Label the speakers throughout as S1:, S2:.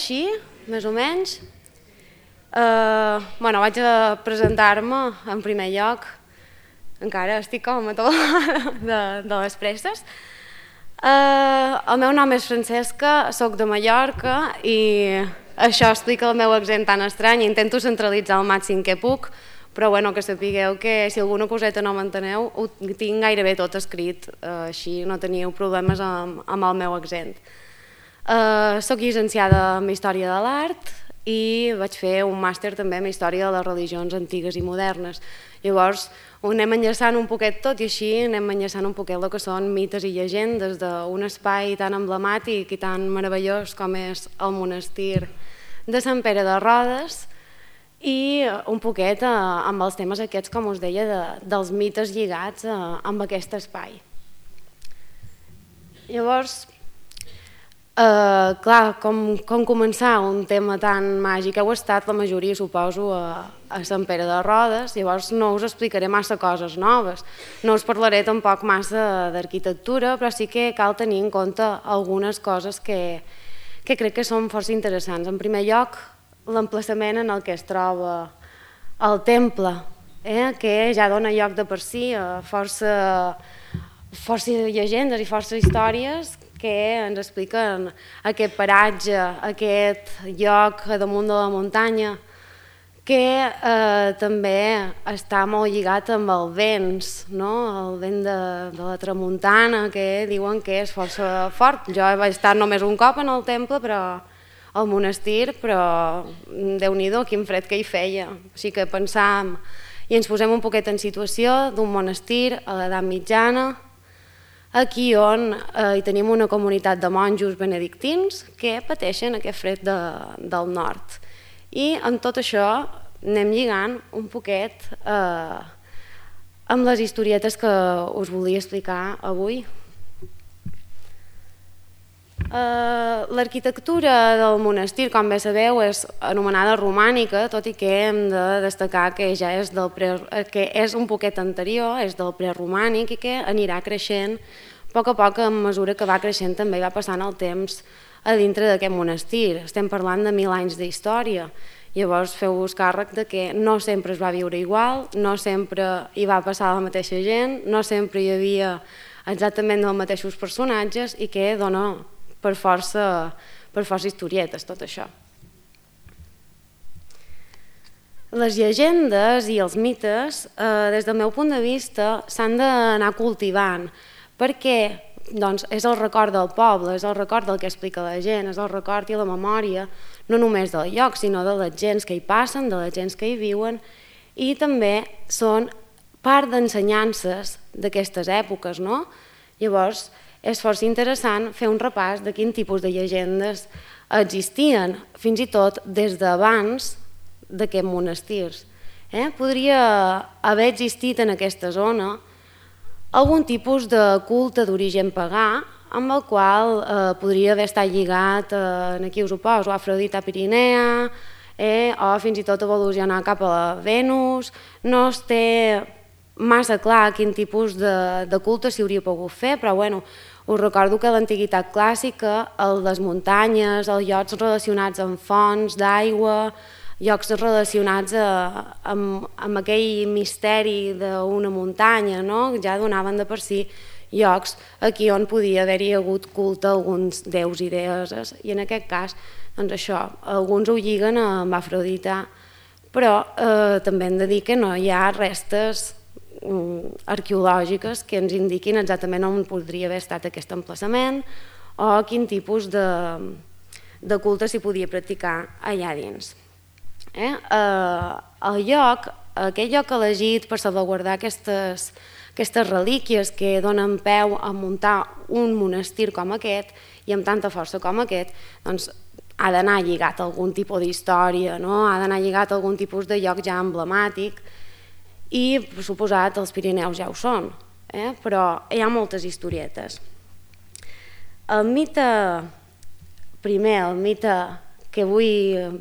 S1: Així, més o menys. Vaig a presentar-me en primer lloc. Encara estic com a de les presses. El meu nom és Francesca, soc de Mallorca i això explica el meu accent tan estrany. Intento centralitzar al màxim que puc, però que sapigueu que si alguna coseta no m'enteneu ho tinc gairebé tot escrit, així no teniu problemes amb el meu accent. Soc llicenciada en Història de l'Art i vaig fer un màster també en Història de les religions antigues i modernes. Llavors ho anem enllaçant un poquet tot i així anem enllaçant un poquet el que són mites i llegendes d'un espai tan emblemàtic i tan meravellós com és el monestir de Sant Pere de Rodes i un poquet amb els temes aquests, com us deia, dels mites lligats amb aquest espai. Llavors, clar, com començar un tema tan màgic? Heu estat la majoria, suposo, a Sant Pere de Rodes, llavors no us explicaré massa coses noves, no us parlaré tampoc massa d'arquitectura, però sí que cal tenir en compte algunes coses que crec que són força interessants. En primer lloc, l'emplaçament en el que es troba el temple, que ja dona lloc de per si a força llegendes i força històries que ens expliquen aquest paratge, aquest lloc damunt de la muntanya, que també està molt lligat amb el vents, el vent de la tramuntana, que diuen que és força fort. Jo he estat només un cop en el temple, al monestir, però Déu-n'hi-do, quin fred que hi feia. Així que pensàvem i ens posem un poquet en situació d'un monestir a l'edat mitjana, aquí on hi tenim una comunitat de monjos benedictins que pateixen aquest fred del nord. I amb tot això anem lligant un poquet amb les historietes que us volia explicar avui. L'arquitectura del monestir, com bé sabeu, és anomenada romànica, tot i que hem de destacar que ja és un poquet anterior, és del preromànic i que anirà creixent a poc a mesura que va creixent també va passant el temps a dintre d'aquest monestir. Estem parlant de 1000 anys d'història. Llavors feu-vos càrrec de que no sempre es va viure igual, no sempre hi va passar la mateixa gent, no sempre hi havia exactament els mateixos personatges i que dona per força historietes tot això. Les llegendes i els mites, des del meu punt de vista, s'han d'anar cultivant perquè és el record del poble, és el record del que explica la gent, és el record i la memòria no només del lloc, sinó de les gens que hi passen, de les gens que hi viuen i també són part d'ensenyances d'aquestes èpoques. Llavors, és força interessant fer un repàs de quin tipus de llegendes existien, fins i tot des d'abans d'aquests monestirs. Podria haver existit en aquesta zona algun tipus de culte d'origen pagà amb el qual podria haver estat lligat, aquí us ho poso, Afrodita Pirinea o fins i tot evolucionar cap a la Venus. No es té massa clar quin tipus de culte s'hi hauria pogut fer, però us recordo que a l'antiguitat clàssica, les muntanyes, els llocs relacionats amb fonts d'aigua, llocs relacionats amb aquell misteri d'una muntanya, ja donaven de per si llocs aquí on podia haver-hi hagut culte a alguns déus i deesses. I en aquest cas, això, alguns ho lliguen amb Afrodita, però també hem de dir que no hi ha restes arqueològiques que ens indiquin exactament on podria haver estat aquest emplaçament o quin tipus de culte s'hi podia practicar allà dins. Aquest lloc elegit per salvaguardar aquestes relíquies que donen peu a muntar un monestir com aquest i amb tanta força com aquest, ha d'anar lligat a algun tipus d'història, ha d'anar lligat a algun tipus de lloc ja emblemàtic i, per suposat, els Pirineus ja ho són, però hi ha moltes historietes. El mite primer, el mite que vull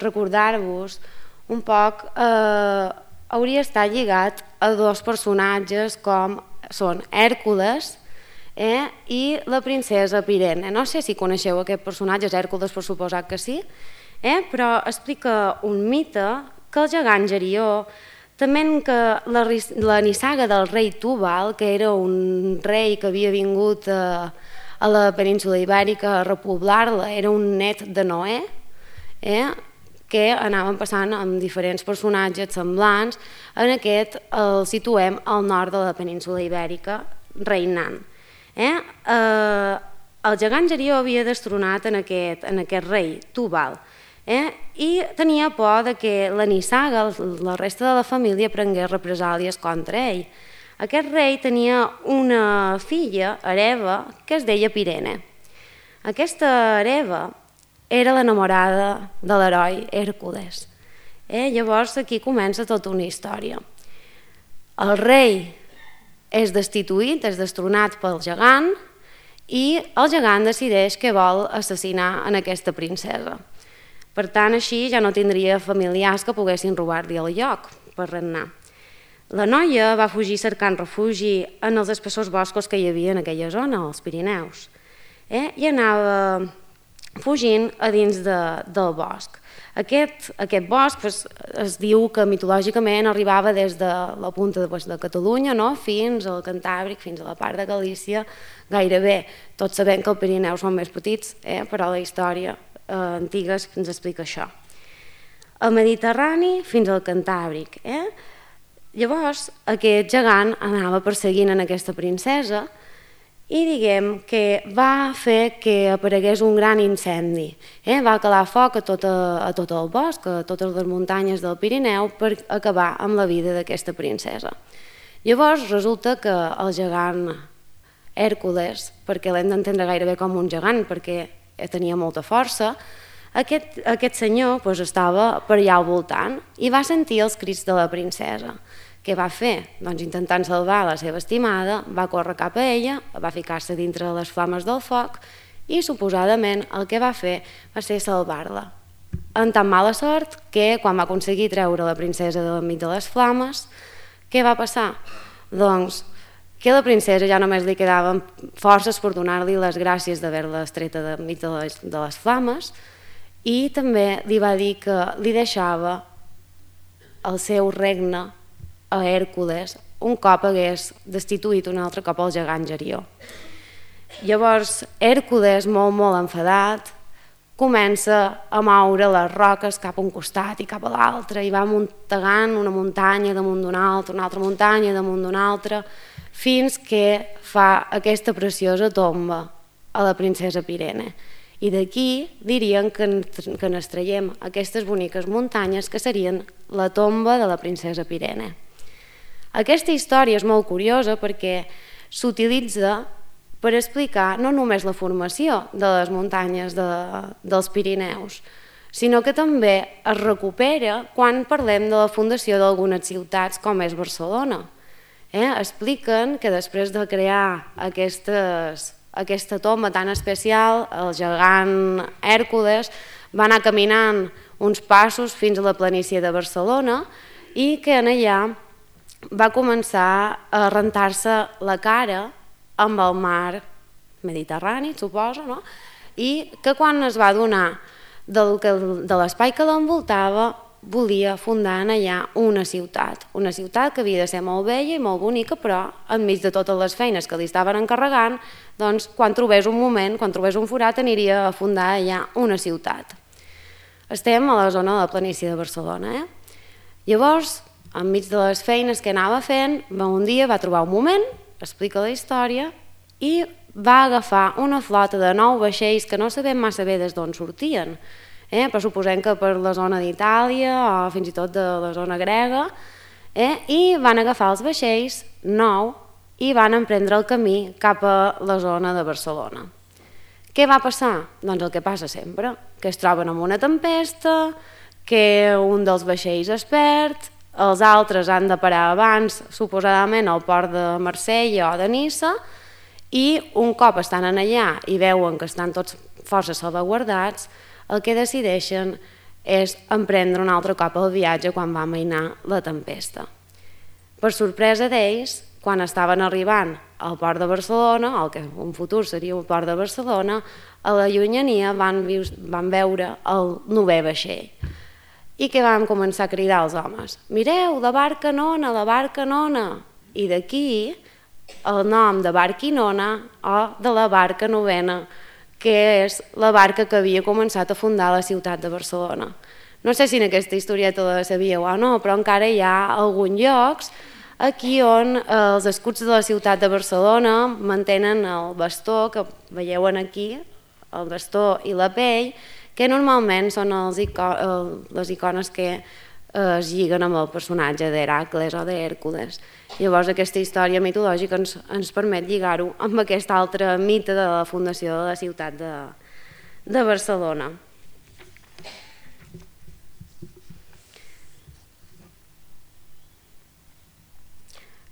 S1: recordar-vos un poc, hauria estat lligat a dos personatges com són Hèrcules i la princesa Pirene. No sé si coneixeu aquest personatge, és Hèrcules per suposat que sí, però explica un mite que el gegant Gerió, també que la nissaga del rei Túbal, que era un rei que havia vingut a la península Ibèrica a repoblar-la, era un net de Noè, que anaven passant amb diferents personatges semblants. En aquest el situem al nord de la península Ibèrica, reinant. El gegant Gerió havia destronat en aquest rei, Túbal, i tenia por que la nissaga, la resta de la família, prengués represàlies contra ell. Aquest rei tenia una filla, Hereva, que es deia Pirene. Aquesta Hereva era l'enamorada de l'heroi Hèrcules. Llavors aquí comença tota una història. El rei és destituït, és destronat pel gegant, i el gegant decideix que vol assassinar en aquesta princesa. Per tant, així ja no tindria familiars que poguessin robar-li el lloc per regnar. La noia va fugir cercant refugi en els espessors boscos que hi havia en aquella zona, als Pirineus, i anava fugint a dins del bosc. Aquest bosc es diu que mitològicament arribava des de la punta de Catalunya fins al Cantàbric, fins a la part de Galícia, gairebé. Tots sabem que els Pirineus són més petits, però la història antiga ens explica això. El Mediterrani fins al Cantàbric. Llavors, aquest gegant anava perseguint en aquesta princesa i diguem que va fer que aparegués un gran incendi. Va calar foc a tot el bosc, a totes les muntanyes del Pirineu, per acabar amb la vida d'aquesta princesa. Llavors resulta que el gegant Hèrcules, perquè l'hem d'entendre gairebé com un gegant, perquè tenia molta força, aquest senyor estava per allà al voltant i va sentir els crits de la princesa. Què va fer? Doncs intentant salvar la seva estimada, va córrer cap a ella, va ficar-se dintre les flames del foc i suposadament el que va fer va ser salvar-la. En tan mala sort que quan va aconseguir treure la princesa de l'enmig de les flames, què va passar? Doncs que a la princesa ja només li quedaven forces per donar-li les gràcies d'haver-la estreta de mig de les flames, i també li va dir que li deixava el seu regne a Hèrcules un cop hagués destituït un altre cop el gegant Gerió. Llavors Hèrcules, molt enfadat, comença a moure les roques cap a un costat i cap a l'altre i va muntegant una muntanya damunt d'una altra muntanya damunt d'una altra, fins que fa aquesta preciosa tomba a la princesa Pirene. I d'aquí dirien que n'extraiem aquestes boniques muntanyes que serien la tomba de la princesa Pirene. Aquesta història és molt curiosa perquè s'utilitza per explicar no només la formació de les muntanyes dels Pirineus, sinó que també es recupera quan parlem de la fundació d'algunes ciutats com és Barcelona. Expliquen que després de crear aquesta tomba tan especial, el gegant Hèrcules va anar caminant uns passos fins a la planícia de Barcelona i que en allà va començar a rentar-se la cara amb el mar Mediterrani, suposo, i que quan es va adonar de l'espai que l'envoltava volia fundar allà una ciutat que havia de ser molt bella i molt bonica, però enmig de totes les feines que li estaven encarregant, doncs quan trobés un moment, quan trobés un forat, aniria a fundar allà una ciutat. Estem a la zona de la planícia de Barcelona. Llavors, enmig de les feines que anava fent, un dia va trobar un moment, explica la història, i va agafar una flota de 9 vaixells que no sabem massa bé des d'on sortien, però suposem que per la zona d'Itàlia o fins i tot de la zona grega, i van agafar els vaixells 9 i van emprendre el camí cap a la zona de Barcelona. Què va passar? Doncs el que passa sempre, que es troben amb una tempesta, que un dels vaixells es perd, els altres han de parar abans, suposadament al port de Marsella o de Niça, i un cop estan allà i veuen que estan tots força salvaguardats, el que decideixen és emprendre un altre cop el viatge quan va amainar la tempesta. Per sorpresa d'ells, quan estaven arribant al port de Barcelona, el que en futur seria el port de Barcelona, a la llunyania van veure el 9è vaixell. I què vam començar a cridar als homes? Mireu, la barca nona, la barca nona. I d'aquí el nom de Barquinona o de la barca novena, que és la barca que havia començat a fundar la ciutat de Barcelona. No sé si en aquesta historieta la sabíeu o no, però encara hi ha alguns llocs aquí on els escuts de la ciutat de Barcelona mantenen el bastó que veieu aquí, el bastó i la pell, que normalment són les icones que es lliguen amb el personatge d'Hèracles o d'Hèrcules. Llavors aquesta història mitològica ens permet lligar-ho amb aquest altre mite de la fundació de la ciutat de Barcelona.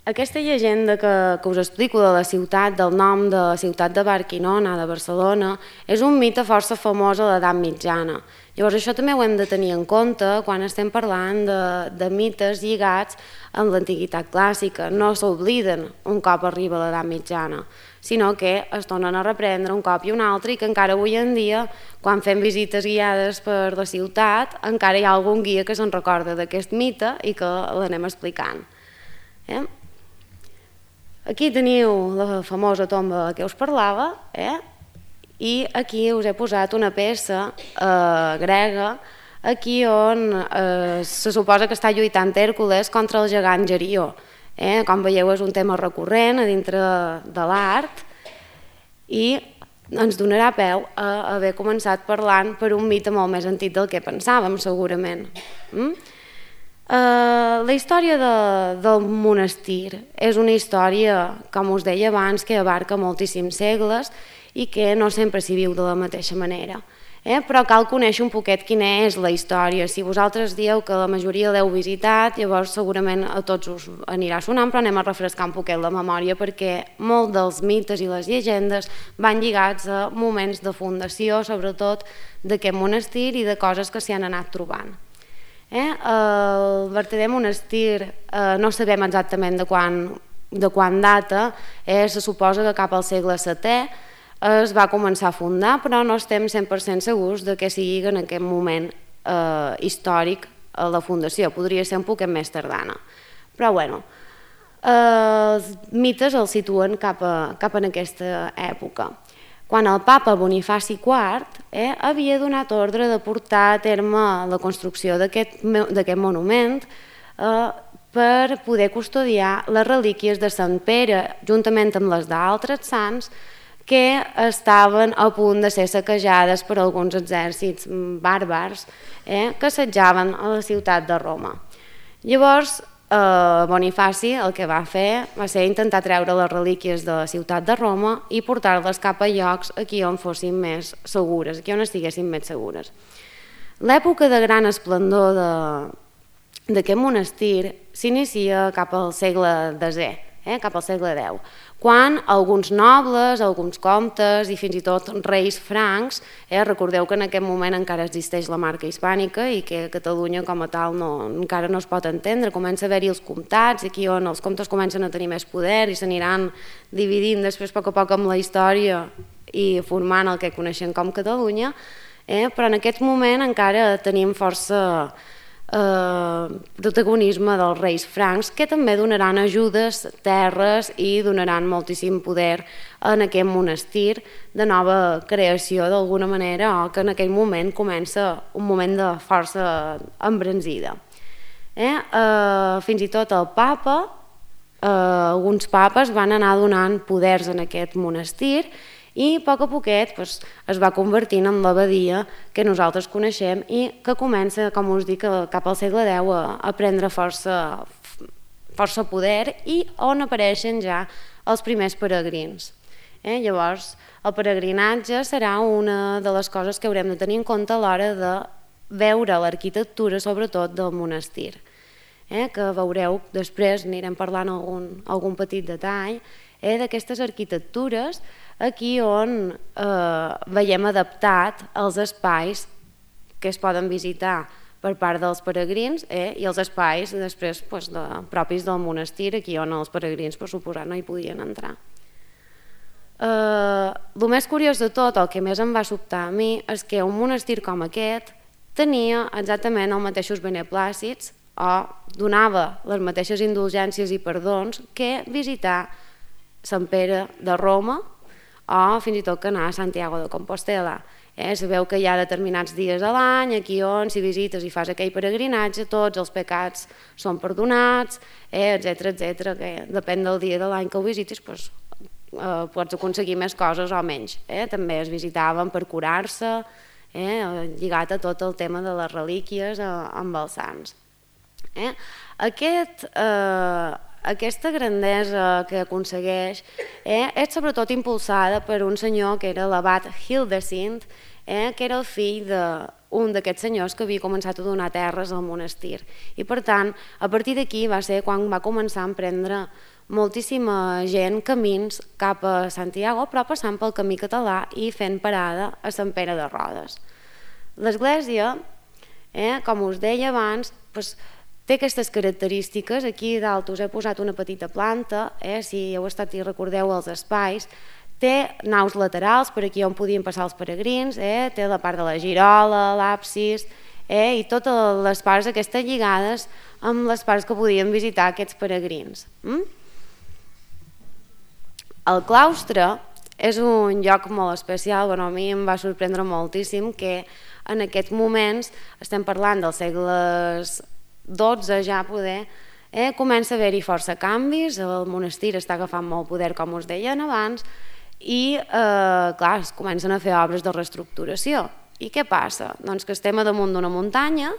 S1: Aquesta llegenda que us explico de la ciutat, del nom de la ciutat de Barquinona, de Barcelona, és un mite força famós a l'edat mitjana. Llavors això també ho hem de tenir en compte quan estem parlant de mites lligats amb l'antiguitat clàssica. No s'obliden un cop arriba l'edat mitjana, sinó que es tornen a reprendre un cop i un altre i que encara avui en dia, quan fem visites guiades per la ciutat, encara hi ha algun guia que se'n recorda d'aquest mite i que l'anem explicant. Aquí teniu la famosa tomba que us parlava, i aquí us he posat una peça grega, aquí on se suposa que està lluitant Hèrcules contra el gegant Gerió. Com veieu, és un tema recurrent a dintre de l'art i ens donarà peu a haver començat parlant per un mite molt més antic del que pensàvem, segurament. La història del monestir és una història, com us deia abans, que abarca moltíssims segles i que no sempre s'hi viu de la mateixa manera. Però cal conèixer un poquet quina és la història. Si vosaltres dieu que la majoria l'heu visitat, llavors segurament a tots us anirà sonant, però anem a refrescar un poquet la memòria perquè molts dels mites i les llegendes van lligats a moments de fundació, sobretot d'aquest monestir i de coses que s'hi han anat trobant. El vertader monestir no sabem exactament de quan data, se suposa que cap al segle VII es va començar a fundar, però no estem 100% segurs de que sigui en aquest moment històric la fundació, podria ser un poquet més tardana. Però bueno, els mites els situen cap en aquesta època. Quan el papa Bonifaci IV havia donat ordre de portar a terme la construcció d'aquest monument per poder custodiar les relíquies de Sant Pere, juntament amb les d'altres sants, que estaven a punt de ser saquejades per alguns exèrcits bàrbars que assetjaven a la ciutat de Roma. Llavors, Bonifaci el que va fer va ser intentar treure les relíquies de la ciutat de Roma i portar-les cap a llocs aquí on fossin més segures, aquí on estiguessin més segures. L'època de gran esplendor d'aquest monestir s'inicia cap al segle X, cap al segle X, quan alguns nobles, alguns comtes i fins i tot reis francs, recordeu que en aquest moment encara existeix la marca hispànica i que Catalunya com a tal encara no es pot entendre, comença a haver-hi els comtats, aquí on els comtes comencen a tenir més poder i s'aniran dividint després a poc amb la història i formant el que coneixem com Catalunya, però en aquest moment encara tenim força protagonisme dels reis francs que també donaran ajudes, terres i donaran moltíssim poder en aquest monestir de nova creació d'alguna manera o que en aquell moment comença un moment de força embranzida. Fins i tot el papa, alguns papes van anar donant poders en aquest monestir i a poquet es va convertint en l'abadia que nosaltres coneixem i que comença, com us dic, cap al segle X a prendre força poder i on apareixen ja els primers peregrins. Llavors, el peregrinatge serà una de les coses que haurem de tenir en compte a l'hora de veure l'arquitectura, sobretot del monestir, que veureu després, anirem parlant algun petit detall, d'aquestes arquitectures aquí on veiem adaptat els espais que es poden visitar per part dels peregrins i els espais després propis del monestir, aquí on els peregrins per suposat no hi podien entrar. El més curiós de tot, el que més em va sobtar a mi, és que un monestir com aquest tenia exactament els mateixos beneplàcits o donava les mateixes indulgències i perdons que visitar Sant Pere de Roma o fins i tot que anar a Santiago de Compostela. Sabeu que hi ha determinats dies a l'any aquí on si visites i fas aquell peregrinatge tots els pecats són perdonats, etc, que depèn del dia de l'any que ho visitis pots aconseguir més coses o menys. També es visitaven per curar-se, lligat a tot el tema de les relíquies amb els sants. Aquesta grandesa que aconsegueix és sobretot impulsada per un senyor que era l'abat Hildesind, que era el fill d'un d'aquests senyors que havia començat a donar terres al monestir. I per tant, a partir d'aquí va ser quan va començar a emprendre moltíssima gent camins cap a Santiago, però passant pel camí català i fent parada a Sant Pere de Rodes. L'església, com us deia abans, té aquestes característiques. Aquí dalt us he posat una petita planta, si heu estat i recordeu els espais. Té naus laterals per aquí on podien passar els peregrins, té la part de la girola, l'absis i totes les parts aquestes lligades amb les parts que podien visitar aquests peregrins. El claustre és un lloc molt especial, a mi em va sorprendre moltíssim que en aquests moments, estem parlant dels segles XII ja poder, comença a haver-hi força canvis, el monestir està agafant molt poder com us deien abans i clar, es comencen a fer obres de reestructuració. I què passa? Doncs que estem a damunt d'una muntanya,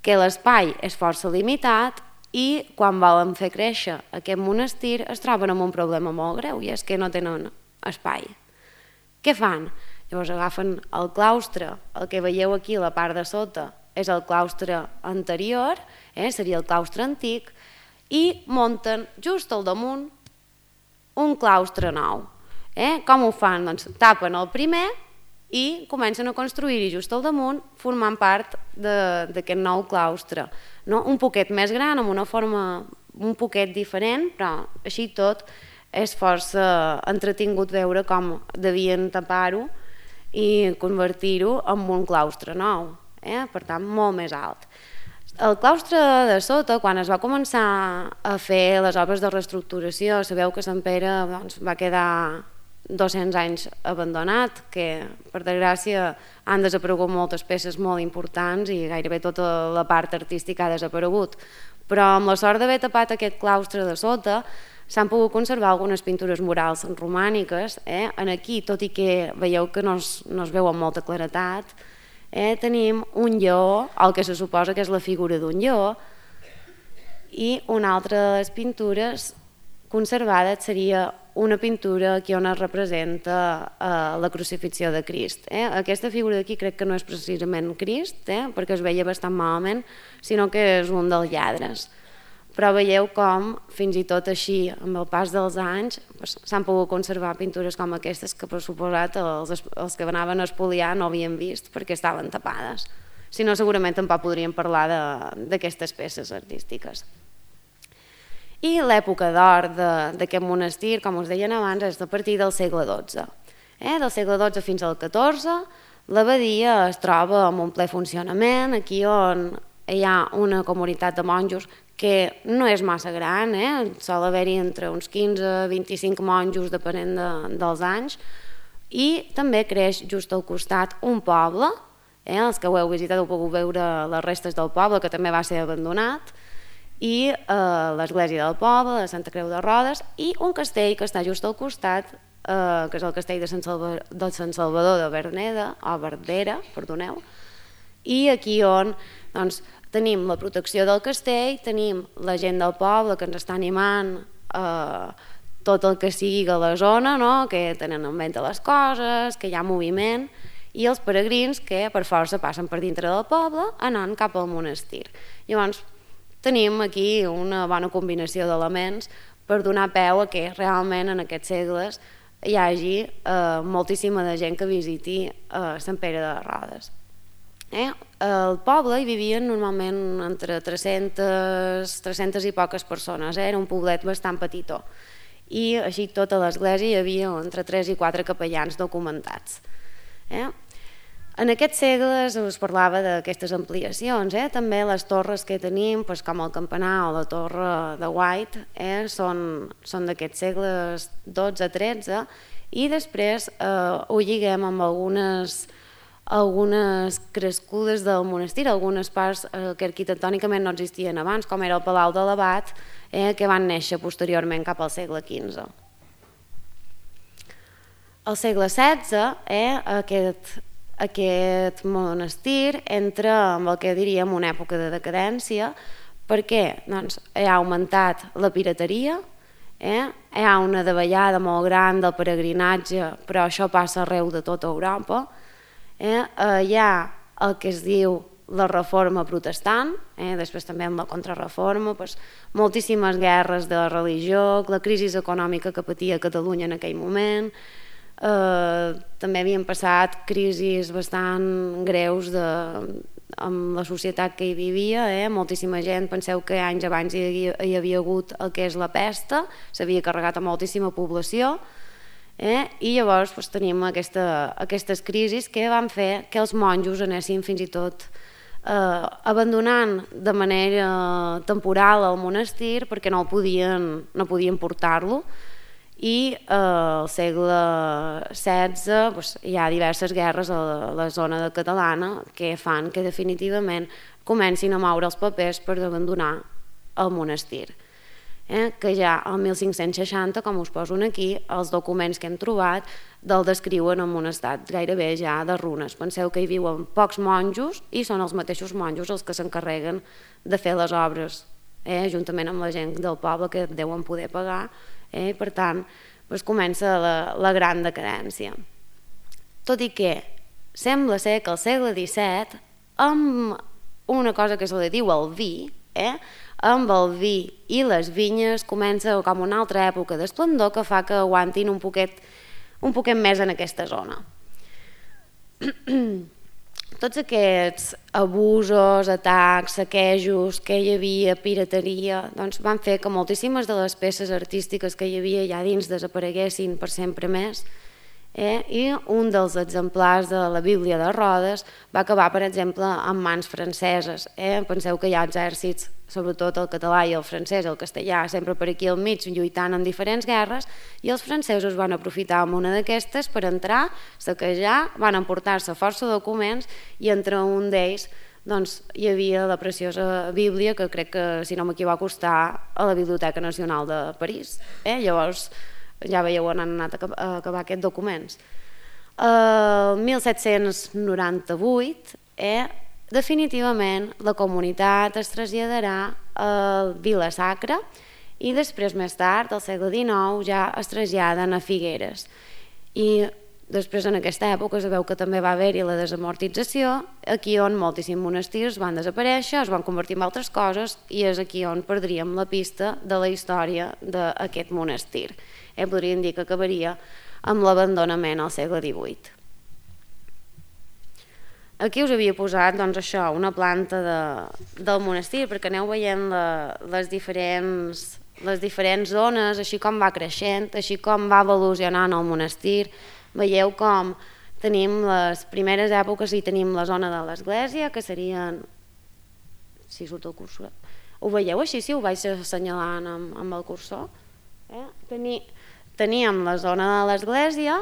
S1: que l'espai és força limitat i quan volen fer créixer aquest monestir es troben amb un problema molt greu i és que no tenen espai. Què fan? Llavors agafen el claustre, el que veieu aquí a la part de sota és el claustre anterior, seria el claustre antic, i munten just al damunt un claustre nou. Com ho fan? Doncs tapen el primer i comencen a construir-hi just al damunt formant part d'aquest nou claustre. Un poquet més gran, amb una forma un poquet diferent, però així tot és força entretingut veure com devien tapar-ho i convertir-ho en un claustre nou, per tant molt més alt. El claustre de sota, quan es va començar a fer les obres de reestructuració, sabeu que Sant Pere va quedar 200 anys abandonat, que per desgràcia han desaparegut moltes peces molt importants i gairebé tota la part artística ha desaparegut, però amb la sort d'haver tapat aquest claustre de sota s'han pogut conservar algunes pintures murals romàniques. Aquí, tot i que veieu que no es veu amb molta claretat, tenim un lleó, el que se suposa que és la figura d'un lleó, i una altra de les pintures conservades seria una pintura aquí on es representa la crucifixió de Crist. Aquesta figura d'aquí crec que no és precisament Crist, perquè es veia bastant malament, sinó que és un dels lladres. Però veieu com, fins i tot així, amb el pas dels anys, s'han pogut conservar pintures com aquestes que, per suposat, els que anaven a espoliar no havien vist perquè estaven tapades. Si no, segurament tampoc podríem parlar d'aquestes peces artístiques. I l'època d'or d'aquest monestir, com us deien abans, és a partir del segle XII. Del segle XII fins al XIV, l'abadia es troba en un ple funcionament, aquí on hi ha una comunitat de monjos que no és massa gran, sol haver-hi entre uns 15 i 25 monjos depenent dels anys, i també creix just al costat un poble, els que ho heu visitat heu pogut veure les restes del poble, que també va ser abandonat, i l'església del poble, de Santa Creu de Rodes, i un castell que està just al costat, que és el castell de Sant Salvador de Verneda, o Verdera, perdoneu, i aquí on tenim la protecció del castell, tenim la gent del poble que ens està animant tot el que sigui a la zona, que tenen en ment les coses, que hi ha moviment, i els peregrins que per força passen per dintre del poble anant cap al monestir. Llavors tenim aquí una bona combinació d'elements per donar peu a que realment en aquests segles hi hagi moltíssima de gent que visiti Sant Pere de Rodes. al poble hi vivien normalment entre 300 i poques persones, era un poblet bastant petitó. I així tota l'església hi havia entre 3 i 4 capellans documentats. En aquests segles us parlava d'aquestes ampliacions, també les torres que tenim, com el campanar o la torre de White, són d'aquests segles 12-13, i després ho lliguem amb algunes crescudes del monestir, algunes parts que arquitectònicament no existien abans, com era el Palau de l'Abat, que van néixer posteriorment cap al segle XV. Al segle XVI, aquest monestir entra en el que diríem una època de decadència, perquè hi ha augmentat la pirateria, hi ha una davallada molt gran del peregrinatge, però això passa arreu de tota Europa. Hi ha el que es diu la reforma protestant, després també amb la contrarreforma, moltíssimes guerres de religió, la crisi econòmica que patia Catalunya en aquell moment, també havien passat crisis bastant greus amb la societat que hi vivia, moltíssima gent, penseu que anys abans hi havia hagut el que és la pesta, s'havia carregat a moltíssima població, i llavors tenim aquestes crisis que van fer que els monjos anessin fins i tot abandonant de manera temporal el monestir perquè no podien portar-lo, i al segle XVI hi ha diverses guerres a la zona catalana que fan que definitivament comencin a moure els papers per abandonar el monestir. Que ja al 1560, com us poso aquí, els documents que hem trobat del descriuen en un estat gairebé ja de runes. Penseu que hi viuen pocs monjos i són els mateixos monjos els que s'encarreguen de fer les obres, juntament amb la gent del poble que deuen poder pagar, i per tant comença la gran decadència. Tot i que sembla ser que al segle XVII, amb una cosa que se li diu el vi, amb el vi i les vinyes comença com una altra època d'esplendor que fa que aguantin un poquet més en aquesta zona. Tots aquests abusos, atacs, saquejos que hi havia, pirateria, van fer que moltíssimes de les peces artístiques que hi havia allà dins desapareguessin per sempre més, i un dels exemplars de la Bíblia de Rodes va acabar, per exemple, en mans franceses. Penseu que hi ha exèrcits, sobretot el català i el francès, el castellà, sempre per aquí al mig lluitant en diferents guerres, i els francesos van aprofitar una d'aquestes per entrar, saquejar, van emportar-se força documents i entre un d'ells hi havia la preciosa Bíblia que crec que, si no m'equivoco, està a la Biblioteca Nacional de París. Llavors ja veieu on han anat a acabar aquests documents. El 1798 definitivament la comunitat es traslladarà a Vila-sacra i després, més tard, al segle XIX, ja es traslladen a Figueres. I després, en aquesta època, sabeu que també va haver-hi la desamortització, aquí on moltíssims monestirs van desaparèixer, es van convertir en altres coses, i és aquí on perdríem la pista de la història d'aquest monestir. Podríem dir que acabaria amb l'abandonament al segle XVIII. Aquí us havia posat una planta del monestir perquè aneu veient les diferents zones, així com va creixent, així com va evolucionant el monestir. Veieu com tenim les primeres èpoques i tenim la zona de l'església, que serien... Si surt el cursor. Ho veieu així, si ho vaig assenyalant amb el cursor? Teníem la zona de l'església,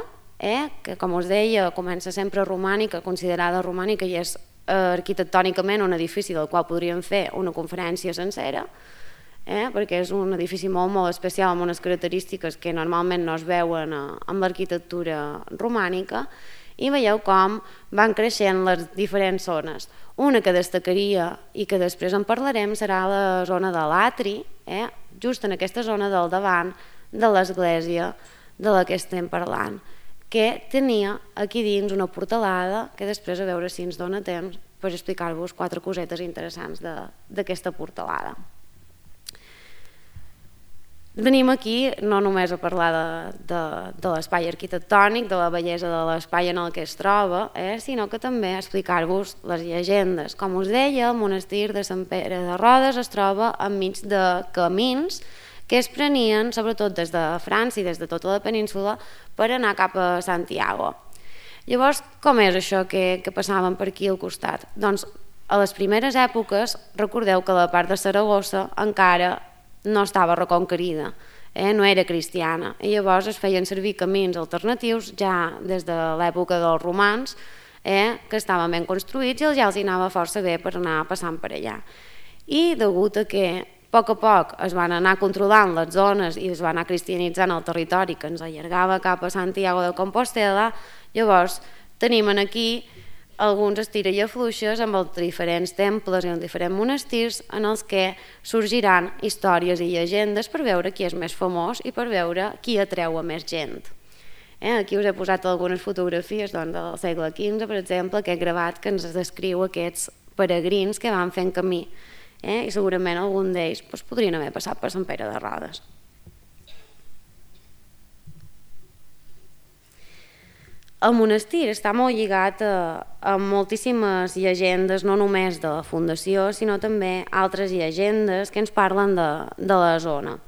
S1: que com us deia comença sempre romànica, considerada romànica, i és arquitectònicament un edifici del qual podríem fer una conferència sencera, perquè és un edifici molt especial amb unes característiques que normalment no es veuen amb l'arquitectura romànica, i veieu com van creixent les diferents zones. Una que destacaria i que després en parlarem serà la zona de l'atri, just en aquesta zona del davant de l'església de la que estem parlant, que tenia aquí dins una portalada que després a veure si ens dona temps per explicar-vos 4 cosetes interessants d'aquesta portalada. Venim aquí no només a parlar de l'espai arquitectònic, de la bellesa de l'espai en el que es troba, sinó que també explicar-vos les llegendes. Com us deia, el monestir de Sant Pere de Rodes es troba enmig de camins que es prenien, sobretot des de França i des de tota la península, per anar cap a Santiago. Llavors, com és això que passaven per aquí al costat? Doncs a les primeres èpoques, recordeu que la part de Saragossa encara no estava reconquerida, no era cristiana, i llavors es feien servir camins alternatius ja des de l'època dels romans, que estaven ben construïts i ja els anava força bé per anar passant per allà. I degut a que a poc es van anar controlant les zones i es va anar cristianitzant el territori que ens allargava cap a Santiago de Compostela, llavors tenim aquí alguns estira i afluixes amb els diferents temples i els diferents monestirs en els que sorgiran històries i llegendes per veure qui és més famós i per veure qui atreu a més gent. Aquí us he posat algunes fotografies del segle XV, per exemple, aquest gravat que ens descriu aquests peregrins que van fent camí, i segurament algun d'ells podrien haver passat per Sant Pere de Rodes. El monestir està molt lligat a moltíssimes llegendes, no només de la fundació, sinó també altres llegendes que ens parlen de la zona,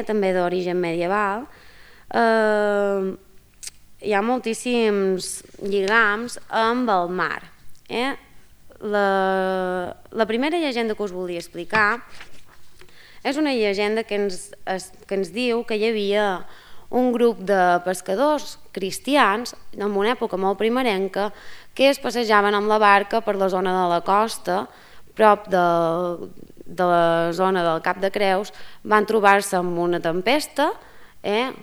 S1: també d'origen medieval. Hi ha moltíssims lligams amb el mar. La primera llegenda que us volia explicar és una llegenda que ens diu que hi havia un grup de pescadors cristians en una època molt primerenca que es passejaven amb la barca per la zona de la costa, prop de la zona del Cap de Creus, van trobar-se amb una tempesta,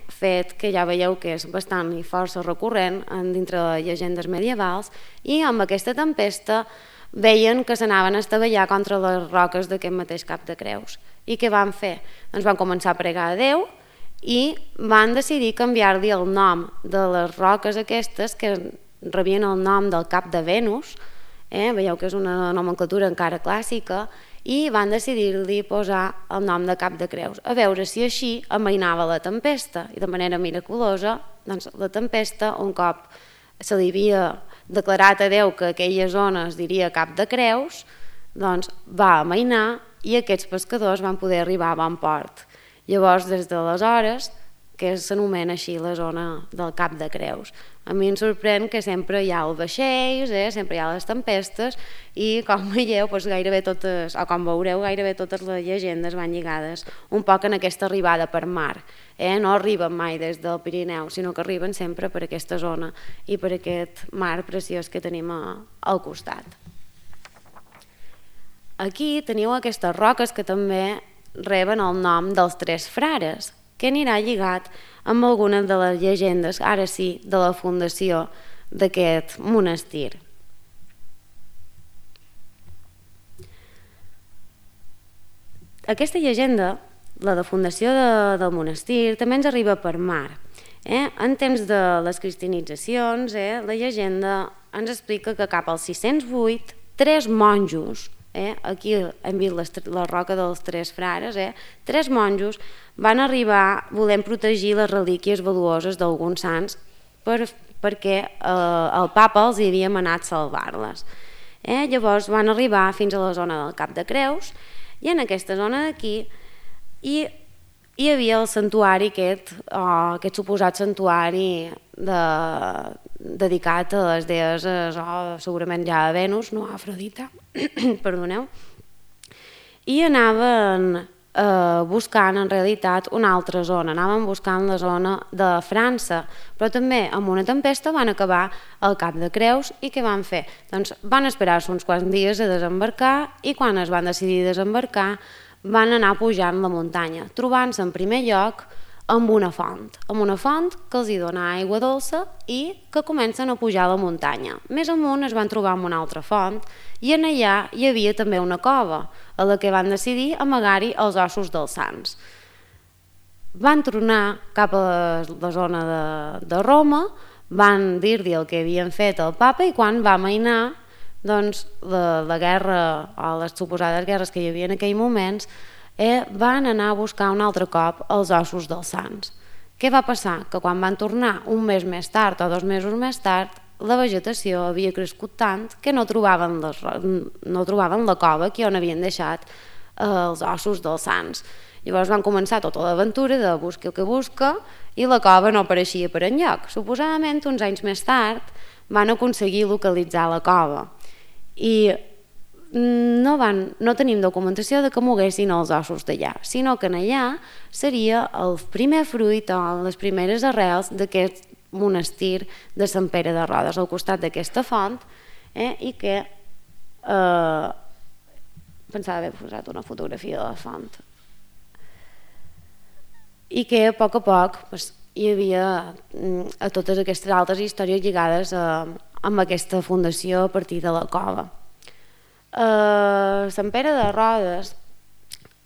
S1: fet que ja veieu que és bastant i força recurrent dintre de llegendes medievals, i amb aquesta tempesta veien que s'anaven a estavellar contra les roques d'aquest mateix Cap de Creus. I què van fer? Doncs van començar a pregar a Déu i van decidir canviar-li el nom de les roques aquestes que rebien el nom del cap de Venus, veieu que és una nomenclatura encara clàssica, i van decidir-li posar el nom de Cap de Creus, a veure si així amainava la tempesta, i de manera miraculosa, doncs la tempesta, un cop se li havia declarat a Déu que aquella zona es diria Cap de Creus, doncs va amainar i aquests pescadors van poder arribar a bon port. Llavors, des d'aleshores, que s'anomena així la zona del Cap de Creus. A mi em sorprèn que sempre hi ha els vaixells, sempre hi ha les tempestes, i com veieu, gairebé totes, o com veureu, gairebé totes les llegendes van lligades un poc en aquesta arribada per mar. No arriben mai des del Pirineu, sinó que arriben sempre per aquesta zona i per aquest mar preciós que tenim al costat. Aquí teniu aquestes roques que també reben el nom dels Tres Frares, que anirà lligat amb algunes de les llegendes, ara sí, de la fundació d'aquest monestir. Aquesta llegenda, la de fundació del monestir, també ens arriba per mar. En temps de les cristianitzacions, la llegenda ens explica que cap al 608, 3 monjos, aquí hem vist la roca dels Tres Frares, 3 monjos van arribar volent protegir les relíquies valuoses d'alguns sants perquè el papa els havia manat salvar-les. Llavors van arribar fins a la zona del Cap de Creus i en aquesta zona d'aquí hi havia el santuari aquest suposat santuari dedicat a les deeses, segurament ja a Venus, no a Afrodita, perdoneu, i anaven buscant en realitat una altra zona, anaven buscant la zona de França, però també amb una tempesta van acabar al Cap de Creus i què van fer? Doncs van esperar-se uns quants dies a desembarcar i quan es van decidir desembarcar van anar pujant la muntanya, trobant-se en primer lloc amb una font que els hi dona aigua dolça i que comencen a pujar la muntanya. Més amunt es van trobar amb una altra font i en allà hi havia també una cova a la que van decidir amagar-hi els ossos dels sants. Van tornar cap a la zona de Roma, van dir-li el que havien fet al papa i quan va amainar la guerra o les suposades guerres que hi havia en aquell moments, van anar a buscar un altre cop els ossos dels sants. Què va passar? Que quan van tornar un mes més tard o 2 mesos més tard, la vegetació havia crescut tant que no trobaven la cova que on havien deixat els ossos dels sants. Llavors van començar tota l'aventura de busca el que busca i la cova no apareixia per enlloc. Suposadament, uns anys més tard, van aconseguir localitzar la cova i no tenim documentació de que moguessin els ossos d'allà, sinó que allà seria el primer fruit o les primeres arrels d'aquest monestir de Sant Pere de Rodes, al costat d'aquesta font, i que pensava haver posat una fotografia de la font, i que a poc hi havia totes aquestes altres històries lligades amb aquesta fundació a partir de la cova. Sant Pere de Rodes,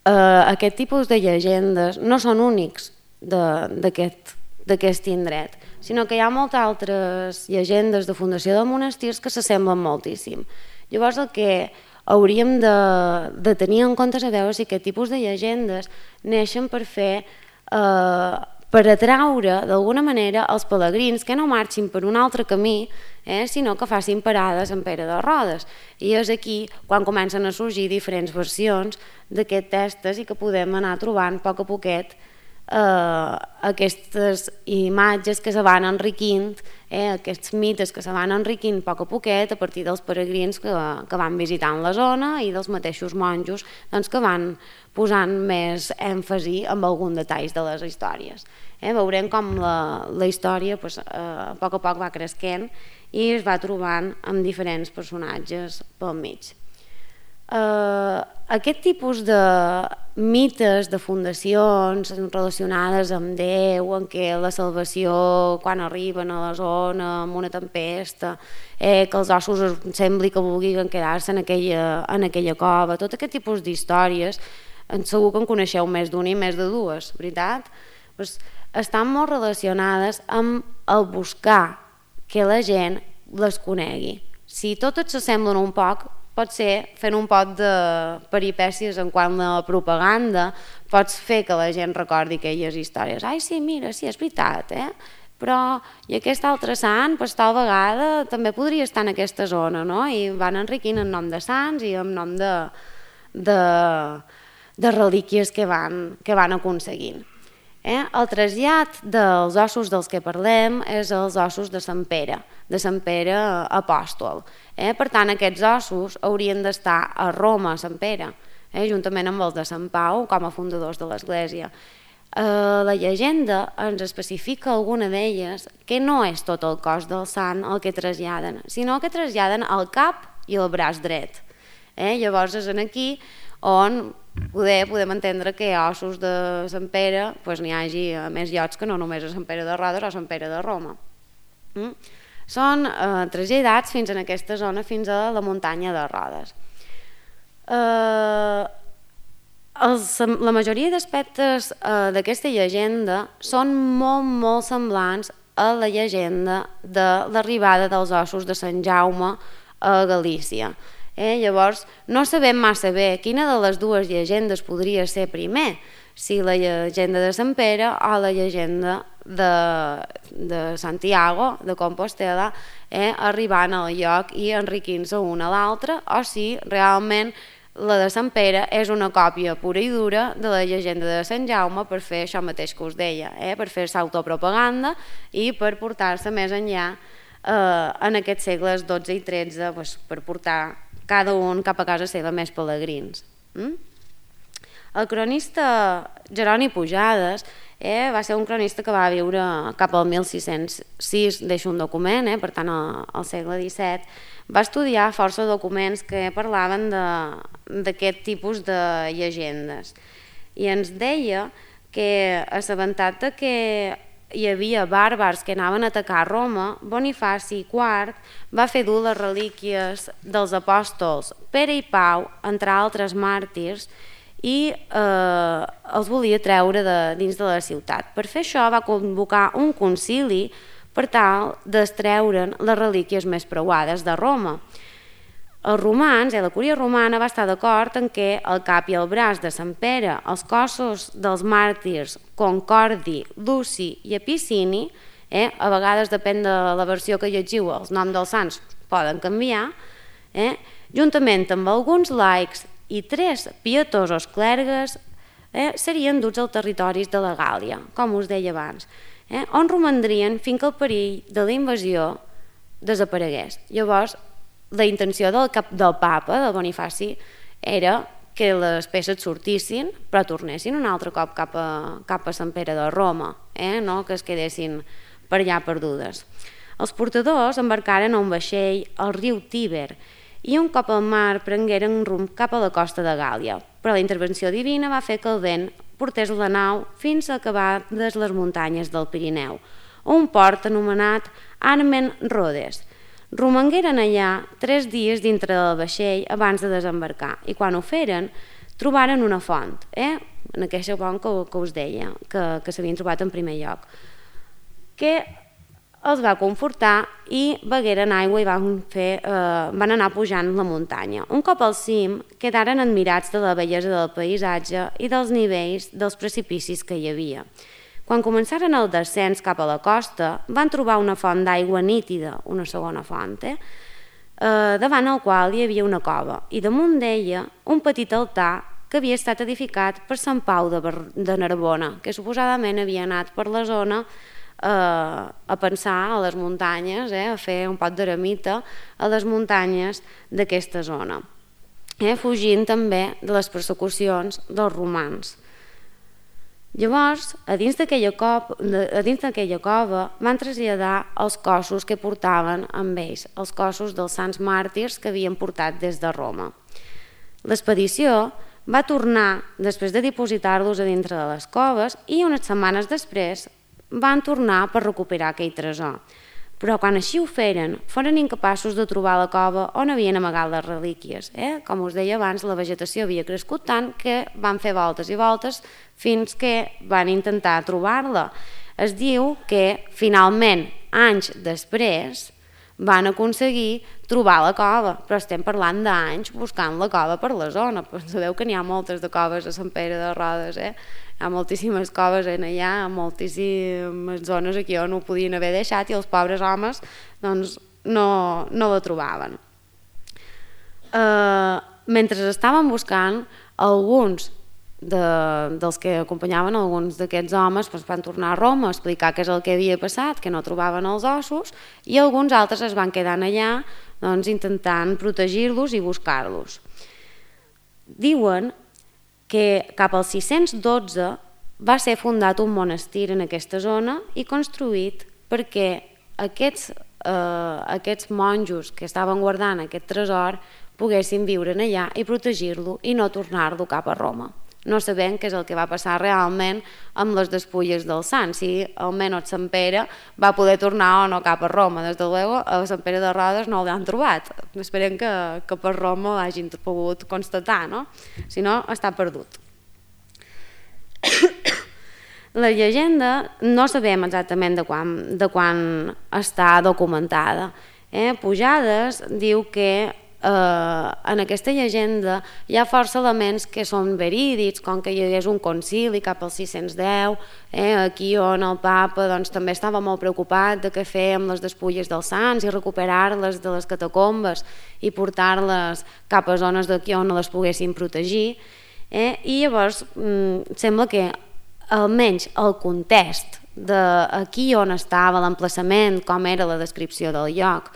S1: aquest tipus de llegendes no són únics d'aquest indret, sinó que hi ha moltes altres llegendes de fundació de monestirs que s'assemblen moltíssim. Llavors el que hauríem de tenir en compte és a veure si aquest tipus de llegendes neixen per atraure d'alguna manera els pelegrins que no marxin per un altre camí, sinó que facin parada a Sant Pere de Rodes. I és aquí quan comencen a sorgir diferents versions d'aquest testes i que podem anar trobant a poc a poquet aquestes imatges que se van enriquint, aquests mites que se van enriquint a poc a poquet a partir dels peregrins que van visitant la zona i dels mateixos monjos que van posant més èmfasi en algun detall de les històries. Veurem com la història a poc va cresquent i es va trobant amb diferents personatges pel mig. Aquest tipus de mites, de fundacions relacionades amb Déu, en què la salvació quan arriben a la zona amb una tempesta, que els ossos sembli que vulguin quedar-se en aquella cova, tot aquest tipus d'històries, segur que en coneixeu més d'una i més de dues, veritat? Estan molt relacionades amb el buscar que la gent les conegui. Si totes s'assemblen un poc, potser fent un pot de peripècies en quant a la propaganda pots fer que la gent recordi aquelles històries. Ai, sí, mira, sí, és veritat, però i aquest altre sant, tal vegada també podria estar en aquesta zona, no? I van enriquint en nom de sants i en nom de relíquies que van aconseguint. El trasllat dels ossos dels que parlem és els ossos de Sant Pere apòstol. Per tant, aquests ossos haurien d'estar a Roma, a Sant Pere, juntament amb els de Sant Pau com a fundadors de l'Església. La llegenda ens especifica alguna d'elles que no és tot el cos del sant el que traslladen, sinó que traslladen el cap i el braç dret. Llavors és aquí on podem entendre que a ossos de Sant Pere n'hi hagi a més llocs que no només a Sant Pere de Rodes o a Sant Pere de Roma. Són traslladats fins en aquesta zona, fins a la muntanya de Rodes. La majoria d'aspectes d'aquesta llegenda són molt semblants a la llegenda de l'arribada dels ossos de Sant Jaume a Galícia. Llavors no sabem massa bé quina de les dues llegendes podria ser primer, si la llegenda de Sant Pere o la llegenda de Santiago, de Compostela, arribant al lloc i enriquint-se una a l'altra, o si realment la de Sant Pere és una còpia pura i dura de la llegenda de Sant Jaume per fer això mateix que us deia, per fer-se autopropaganda i per portar-se més enllà en aquests segles XII i XIII per portar cada un cap a casa seva més pelegrins. El cronista Jeroni Pujades va ser un cronista que va viure cap al 1606, deixa un document, per tant al segle XVII, va estudiar força documents que parlaven d'aquest tipus de llegendes i ens deia que assabentat que hi havia bàrbars que anaven a atacar Roma, Bonifaci IV va fer dur les relíquies dels apòstols Pere i Pau, entre altres màrtirs, i els volia treure dins de la ciutat. Per fer això va convocar un concili per tal d'extreure'n les relíquies més preuades de Roma. Els romans, la Cúria romana va estar d'acord en què el cap i el braç de Sant Pere, els cossos dels màrtirs Concordi, Luci i Epicini, a vegades depèn de la versió que llegiu, els noms dels sants poden canviar, juntament amb alguns laics i 3 pietosos clergues, serien duts als territoris de la Gàl·lia, com us deia abans, on romandrien fins que el perill de la invasió desaparegués. Llavors, la intenció del papa, del Bonifaci, era que les peces sortissin però tornessin un altre cop cap a Sant Pere de Roma, no que es quedessin per allà perdudes. Els portadors embarcaren a un vaixell al riu Tíber i un cop al mar prengueren rumb cap a la costa de Gàl·lia, però la intervenció divina va fer que el vent portés la nau fins a acabar des les muntanyes del Pirineu, a un port anomenat Armen Rodes. Romangueren allà 3 dies dintre del vaixell abans de desembarcar i quan ho feren trobaren una font, en aquesta font que us deia, que s'havien trobat en primer lloc, que els va confortar i begueren aigua i van anar pujant la muntanya. Un cop al cim quedaren admirats de la bellesa del paisatge i dels nivells dels precipicis que hi havia. Quan començaren el descens cap a la costa, van trobar una font d'aigua nítida, una segona font, davant el qual hi havia una cova, i damunt d'ella un petit altar que havia estat edificat per Sant Pau de Narbona, que suposadament havia anat per la zona a pensar a les muntanyes, a fer un pot d'eremita a les muntanyes d'aquesta zona, fugint també de les persecucions dels romans. Llavors, a dins d'aquella cova van traslladar els cossos que portaven amb ells, els cossos dels sants màrtirs que havien portat des de Roma. L'expedició va tornar després de dipositar-los a dintre de les coves i unes setmanes després van tornar per recuperar aquell tresor. Però quan així ho feren, foren incapaços de trobar la cova on havien amagat les relíquies. Com us deia abans, la vegetació havia crescut tant que van fer voltes i voltes fins que van intentar trobar-la. Es diu que finalment, anys després, van aconseguir trobar la cova, però estem parlant d'anys buscant la cova per la zona. Sabeu que n'hi ha moltes de coves a Sant Pere de Rodes, hi ha moltíssimes coves allà, moltíssimes zones aquí on ho podien haver deixat i els pobres homes no la trobaven. Mentre estaven buscant, alguns dels que acompanyaven alguns d'aquests homes van tornar a Roma a explicar què és el que havia passat, que no trobaven els ossos, i alguns altres es van quedar allà intentant protegir-los i buscar-los. Diuen que cap al 612 va ser fundat un monestir en aquesta zona i construït perquè aquests monjos que estaven guardant aquest tresor poguessin viure allà i protegir-lo i no tornar-lo cap a Roma. No sabem què és el que va passar realment amb les despulles del sant, si almenys Sant Pere va poder tornar o no cap a Roma. Des de luego, a Sant Pere de Rodes no l'han trobat. Esperem que per Roma l'hagin pogut constatar, no? Si no, està perdut. La llegenda no sabem exactament de quan està documentada. Pujades diu que en aquesta llegenda hi ha força elements que són verídics, com que hi hagués un concili cap al 610, aquí on el papa també estava molt preocupat de què fer amb les despulles dels sants i recuperar-les de les catacombes i portar-les cap a zones d'aquí on les poguessin protegir, i llavors sembla que almenys el context d'aquí on estava l'emplaçament, com era la descripció del lloc,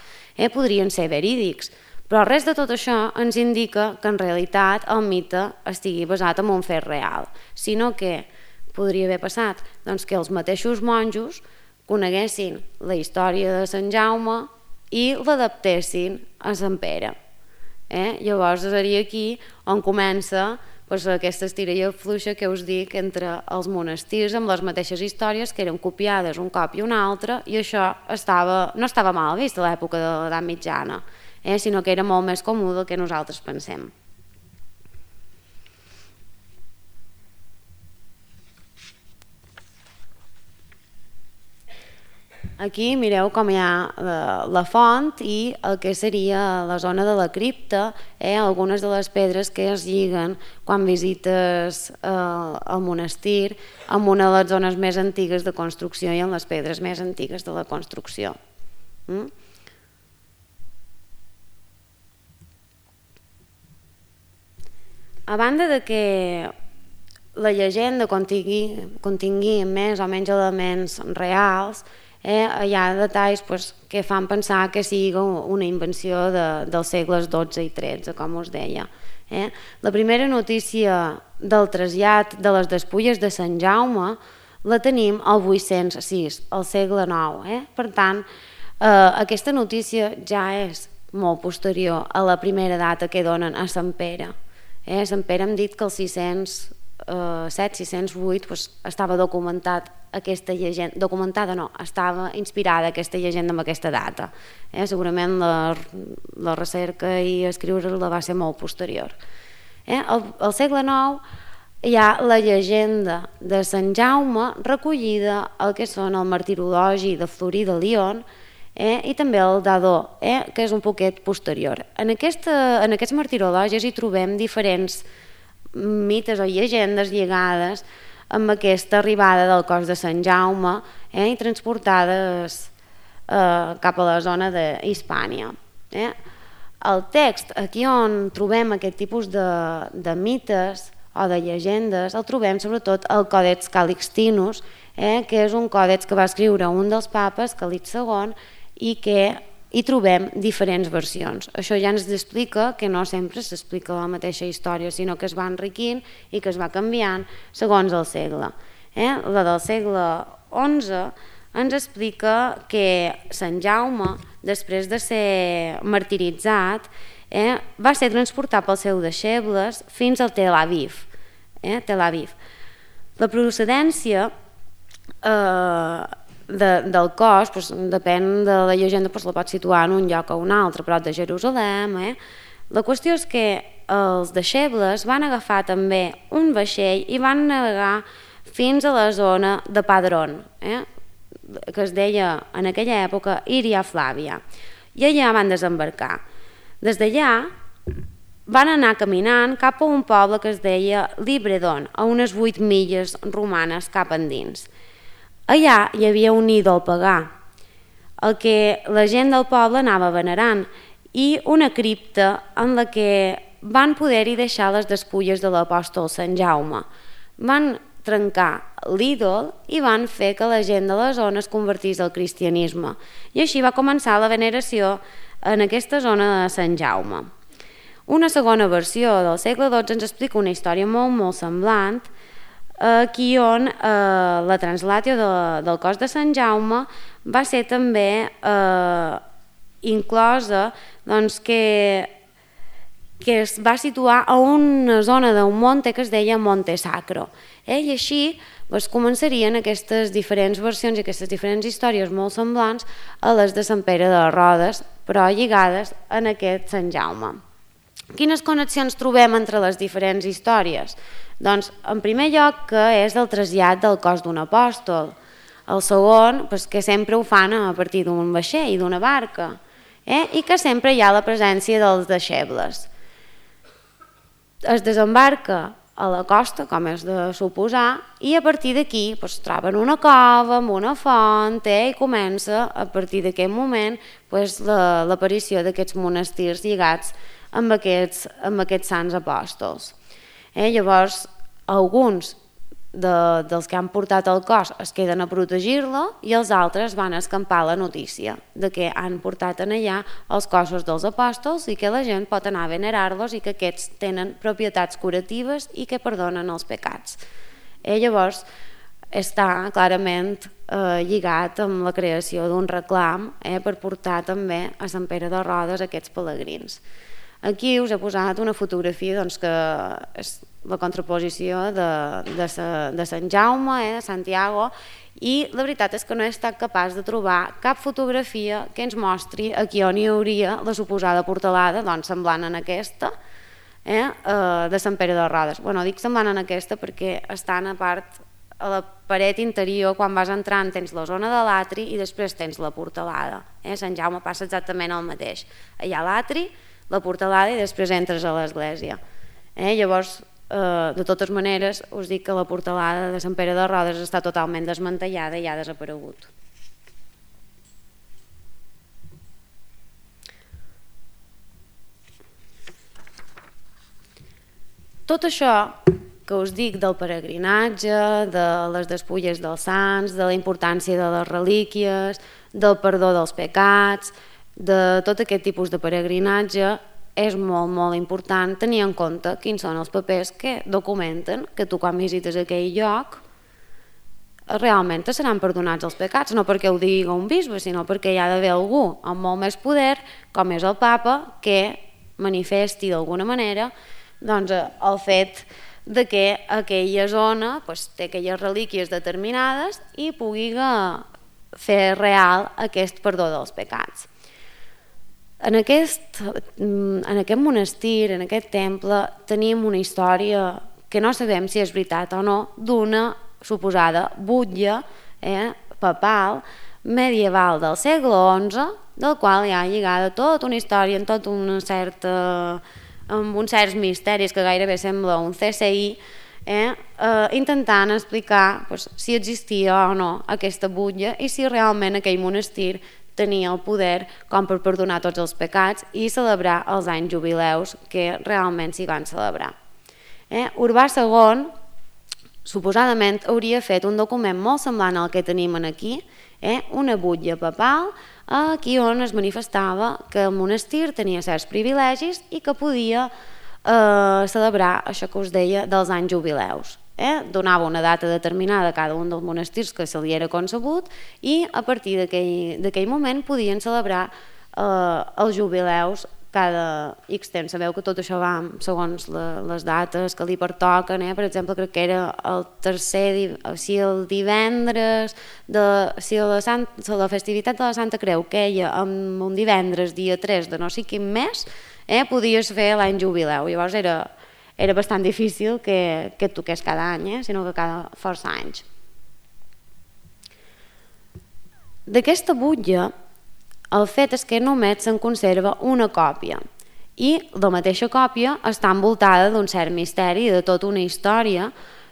S1: podrien ser verídics. Però res de tot això ens indica que en realitat el mite estigui basat en un fet real, sinó que podria haver passat que els mateixos monjos coneguessin la història de Sant Jaume i l'adaptessin a Sant Pere. Llavors seria aquí on comença aquesta estira i afluixa que us dic entre els monestirs amb les mateixes històries que eren copiades un cop i un altre, i això no estava mal vist a l'època de l'edat mitjana, sinó que era molt més comú del que nosaltres pensem. Aquí mireu com hi ha la font i el que seria la zona de la cripta, algunes de les pedres que es lliguen quan visites el monestir amb una de les zones més antigues de construcció i amb les pedres més antigues de la construcció. A banda de que la llegenda contingui més o menys elements reals, hi ha detalls que fan pensar que sigui una invenció dels segles XII i XIII, com us deia. La primera notícia del trasllat de les despulles de Sant Jaume la tenim al 806, al segle IX. Per tant, aquesta notícia ja és molt posterior a la primera data que donen a Sant Pere. A Sant Pere hem dit que el 607-608 estava documentat aquesta llegenda, documentada no, estava inspirada aquesta llegenda amb aquesta data. Segurament la recerca i escriure-la va ser molt posterior. Al segle IX hi ha la llegenda de Sant Jaume recollida al que són el martirologi de Florí de Lyon i també el d'Adó, que és un poquet posterior. En aquests martirologis hi trobem diferents mites o llegendes lligades amb aquesta arribada del cos de Sant Jaume i transportades cap a la zona d'Hispània. El text, aquí on trobem aquest tipus de mites o de llegendes, el trobem sobretot al Còdex Calixtinus, que és un còdex que va escriure un dels papes, Calix II, i que hi trobem diferents versions. Això ja ens explica que no sempre s'explica la mateixa història, sinó que es va enriquint i que es va canviant segons el segle. La del segle XI ens explica que Sant Jaume, després de ser martiritzat, va ser transportat pels seus deixebles fins al Tel Aviv. La procedència del cos, depèn de la llegenda, la pot situar en un lloc o un altre, prop de Jerusalem. La qüestió és que els deixebles van agafar també un vaixell i van navegar fins a la zona de Padrón, que es deia en aquella època Iria Flàvia, i allà van desembarcar. Des d'allà van anar caminant cap a un poble que es deia Libredon, a unes 8 milles romanes cap endins. Allà hi havia un ídol pagà, el que la gent del poble anava venerant, i una cripta en la que van poder-hi deixar les despulles de l'apòstol Sant Jaume. Van trencar l'ídol i van fer que la gent de la zona es convertís al cristianisme. I així va començar la veneració en aquesta zona de Sant Jaume. Una segona versió del segle XII ens explica una història molt semblant, aquí on la translatio del cos de Sant Jaume va ser també inclosa que es va situar a una zona d'un monte que es deia Monte Sacro. I així començarien aquestes diferents versions i aquestes diferents històries molt semblants a les de Sant Pere de Rodes, però lligades en aquest Sant Jaume. Quines connexions trobem entre les diferents històries? Doncs, en primer lloc, que és el trasllat del cos d'un apòstol. El segon, que sempre ho fan a partir d'un vaixell, d'una barca, i que sempre hi ha la presència dels deixebles. Es desembarca a la costa, com és de suposar, i a partir d'aquí troben una cova amb una font i comença, a partir d'aquest moment, l'aparició d'aquests monestirs lligats amb aquests sants apòstols. Llavors, alguns dels que han portat el cos es queden a protegir-lo i els altres van escampar la notícia de que han portat allà els cossos dels apòstols i que la gent pot anar a venerar-los i que aquests tenen propietats curatives i que perdonen els pecats. Llavors, està clarament lligat amb la creació d'un reclam per portar també a Sant Pere de Rodes aquests pelegrins. Aquí us he posat una fotografia que és la contraposició de Sant Jaume, de Santiago, i la veritat és que no he estat capaç de trobar cap fotografia que ens mostri aquí on hi hauria la suposada portalada, semblant en aquesta, de Sant Pere de Rodes. Dic semblant en aquesta perquè estan a part a la paret interior, quan vas entrant, tens la zona de l'atri i després tens la portalada. Sant Jaume passa exactament el mateix. Hi ha l'atri, la portalada i després entres a l'església. Llavors, de totes maneres, us dic que la portalada de Sant Pere de Rodes està totalment desmantellada i ha desaparegut. Tot això que us dic del peregrinatge, de les despulles dels sants, de la importància de les relíquies, del perdó dels pecats, de tot aquest tipus de peregrinatge, és molt, molt important tenir en compte quins són els papers que documenten que tu quan visites aquell lloc realment te seran perdonats els pecats, no perquè ho digui un bisbe, sinó perquè hi ha d'haver algú amb molt més poder, com és el papa, que manifesti d'alguna manera el fet de que aquella zona té aquelles relíquies determinades i pugui fer real aquest perdó dels pecats. En aquest monestir, en aquest temple, tenim una història que no sabem si és veritat o no, d'una suposada butlla papal medieval del segle XI, del qual hi ha lligada tota una història amb uns certs misteris que gairebé sembla un CSI, intentant explicar si existia o no aquesta butlla i si realment aquell monestir tenia el poder com per perdonar tots els pecats i celebrar els anys jubileus que realment s'hi van celebrar. Urbà II suposadament hauria fet un document molt semblant al que tenim aquí, una butlla papal aquí on es manifestava que el monestir tenia certs privilegis i que podia celebrar això que us deia dels anys jubileus. Donava una data determinada a cada un dels monestirs que se li era concebut i a partir d'aquell moment podien celebrar els jubileus cada X temps. Sabeu que tot això va segons les dates que li pertoquen. Per exemple, crec que era el el divendres, si la festivitat de la Santa Creu queia en un divendres, dia 3 de no sé quin mes, podies fer l'any jubileu. Llavors era bastant difícil que et toqués cada any, sinó que cada força anys. D'aquesta butlla, el fet és que només se'n conserva una còpia i la mateixa còpia està envoltada d'un cert misteri i de tota una història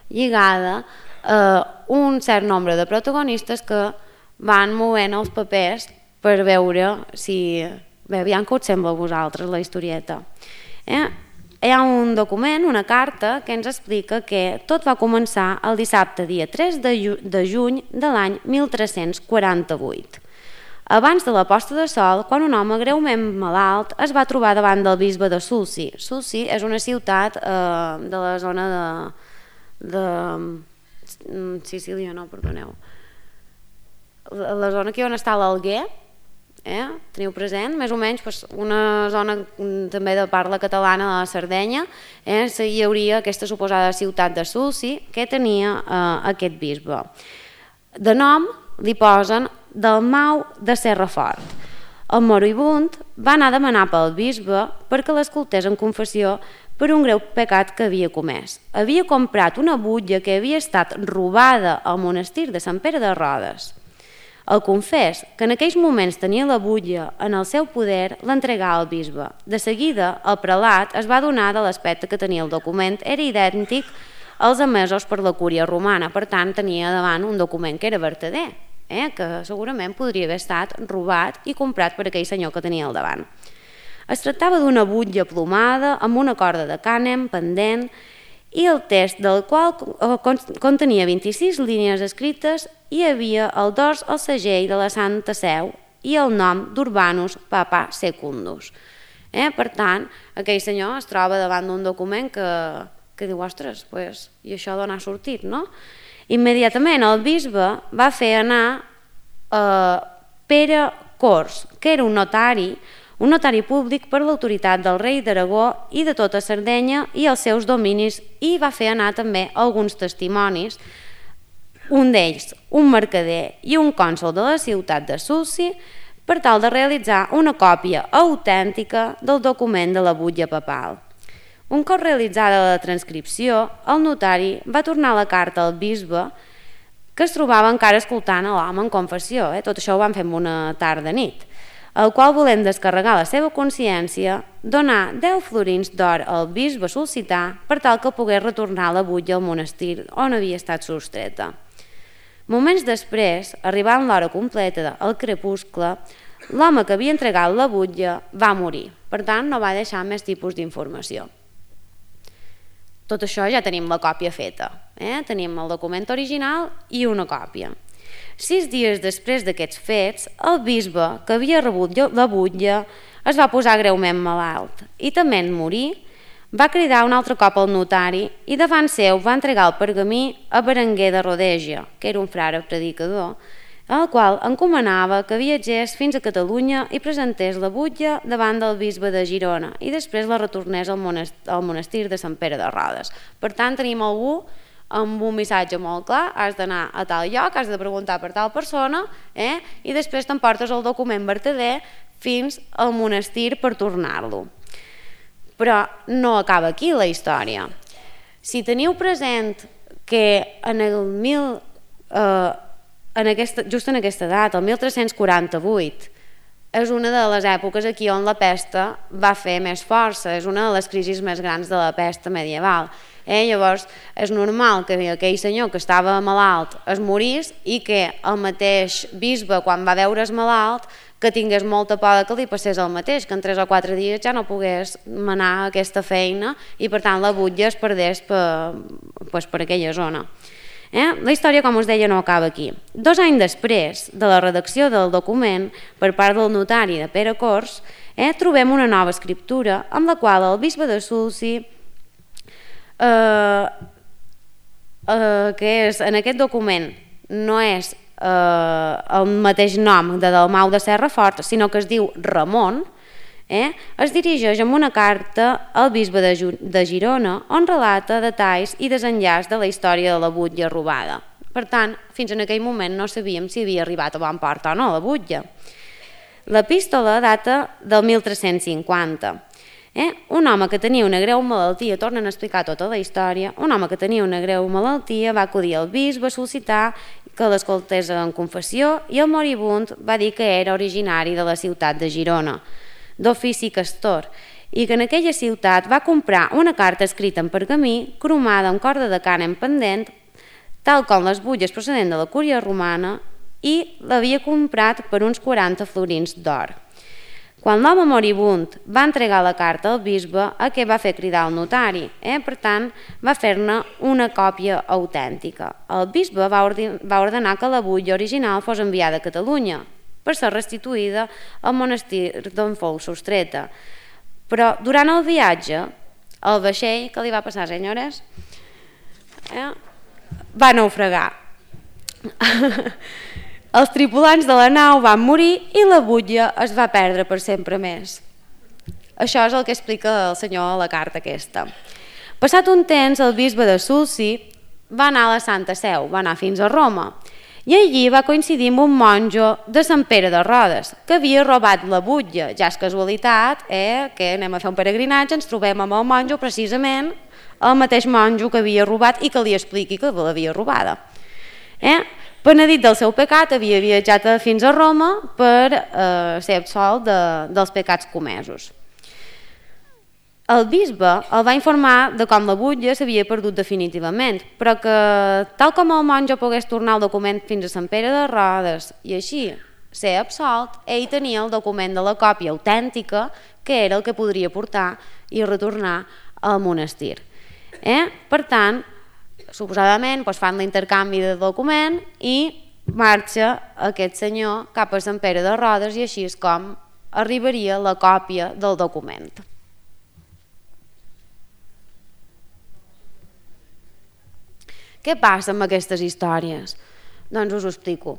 S1: lligada a un cert nombre de protagonistes que van movent els papers per veure si... Bé, aviam què us sembla a vosaltres la historieta. Hi ha un document, una carta, que ens explica que tot va començar el dissabte dia 3 de juny de l'any 1348. Abans de la posta de sol, quan un home greument malalt es va trobar davant del bisbe de Sulci. Sulci és una ciutat de la zona de Sicília, no, perdoneu. La zona aquí on està l'Alguer, teniu present, més o menys una zona també de parla catalana de la Sardenya, hi hauria aquesta suposada ciutat de Sulci que tenia aquest bisbe. De nom li posen Dalmau de Serrafort. El moribund va anar a demanar pel bisbe perquè l'escoltés en confessió per un greu pecat que havia comès. Havia comprat una butlla que havia estat robada al monestir de Sant Pere de Rodes. El confés, que en aquells moments tenia la butlla en el seu poder, l'entregà al bisbe. De seguida, el prelat es va adonar de l'aspecte que tenia el document, era idèntic als emesos per la cúria romana, per tant tenia davant un document que era vertader, que segurament podria haver estat robat i comprat per aquell senyor que tenia al davant. Es tractava d'una butlla plomada amb una corda de cànem pendent i el text del qual contenia 26 línies escrites i hi havia el dors al segell de la Santa Seu i el nom d'Urbanus Papa Secundus. Per tant, aquell senyor es troba davant d'un document que diu, ostres, i això d'on ha sortit, no? Immediatament el bisbe va fer anar Pere Cors, que era un notari públic per l'autoritat del rei d'Aragó i de tota Sardenya i els seus dominis, i va fer anar també alguns testimonis, un d'ells un mercader i un cònsol de la ciutat de Sulci, per tal de realitzar una còpia autèntica del document de la butlla papal. Un cop realitzada la transcripció, el notari va tornar la carta al bisbe que es trobava encara escoltant a l'home en confessió. Tot això ho van fer en una tarda nit, el qual, volent descarregar la seva consciència, donà 10 florins d'or al bisbe Solsità per tal que pogués retornar la butlla al monestir on havia estat sostreta. Moments després, arribant l'hora completa al crepuscle, l'home que havia entregat la butlla va morir, per tant no va deixar més tipus d'informació. Tot això ja tenim la còpia feta, tenim el document original i una còpia. 6 dies després d'aquests fets, el bisbe que havia rebut la butlla es va posar greument malalt i tement morir, va cridar un altre cop al notari i davant seu va entregar el pergamí a Berenguer de Rodeja, que era un frare predicador, el qual encomanava que viatgés fins a Catalunya i presentés la butlla davant del bisbe de Girona i després la retornés al monestir de Sant Pere de Rodes. Per tant, tenim algú amb un missatge molt clar: has d'anar a tal lloc, has de preguntar per tal persona, i després t'emportes el document vertader fins al monestir per tornar-lo. Però no acaba aquí la història. Si teniu present que just en aquesta data, el 1348, és una de les èpoques aquí on la pesta va fer més força, és una de les crisis més grans de la pesta medieval. Llavors és normal que aquell senyor que estava malalt es morís i que el mateix bisbe, quan va veure's malalt, que tingués molta por que li passés el mateix, que en 3 o 4 dies ja no pogués manar aquesta feina i per tant la butlla es perdés per aquella zona. La història, com us deia, no acaba aquí. 2 anys després de la redacció del document per part del notari de Pere Cors, trobem una nova escriptura amb la qual el bisbe de Sulci, que és en aquest document no és el mateix nom de Dalmau de Serrafort, sinó que es diu Ramon, es dirigeix amb una carta al bisbe de Girona on relata detalls i desenllaç de la història de la butlla robada. Per tant, fins en aquell moment no sabíem si havia arribat a bon port o no la butlla. L'epístola data del 1350. Un home que tenia una greu malaltia, tornen a explicar tota la història, un home que tenia una greu malaltia va acudir al bisbe a sol·licitar que l'escoltés en confessió i el moribund va dir que era originari de la ciutat de Girona, d'ofici castor, i que en aquella ciutat va comprar una carta escrita en pergamí, cromada amb corda de cànem pendent, tal com les butlles procedent de la cúria romana, i l'havia comprat per uns 40 florins d'or. Quan l'home moribund va entregar la carta al bisbe, què va fer cridar el notari? Per tant, va fer-ne una còpia autèntica. El bisbe va ordenar que la butlla original fos enviada a Catalunya per ser restituïda al monestir d'on fou sostreta. Però durant el viatge, el vaixell, què li va passar, senyores? Va naufragar. Els tripulants de la nau van morir i la butlla es va perdre per sempre més. Això és el que explica el senyor a la carta aquesta. Passat un temps, el bisbe de Sulci va anar a la Santa Seu, va anar fins a Roma, i allí va coincidir amb un monjo de Sant Pere de Rodes, que havia robat la butlla. Ja és casualitat, que anem a fer un peregrinatge, ens trobem amb el monjo, precisament el mateix monjo que havia robat i que li expliqui que l'havia robada. Penedit del seu pecat, havia viatjat fins a Roma per ser absolt dels pecats comesos. El bisbe el va informar de com la butlla s'havia perdut definitivament, però que tal com el monjo pogués tornar el document fins a Sant Pere de Rodes i així ser absolt, ell tenia el document de la còpia autèntica, que era el que podria portar i retornar al monestir. Per tant, suposadament fan l'intercanvi de document i marxa aquest senyor cap a Sant Pere de Rodes i així és com arribaria la còpia del document. Què passa amb aquestes històries? Doncs us ho explico.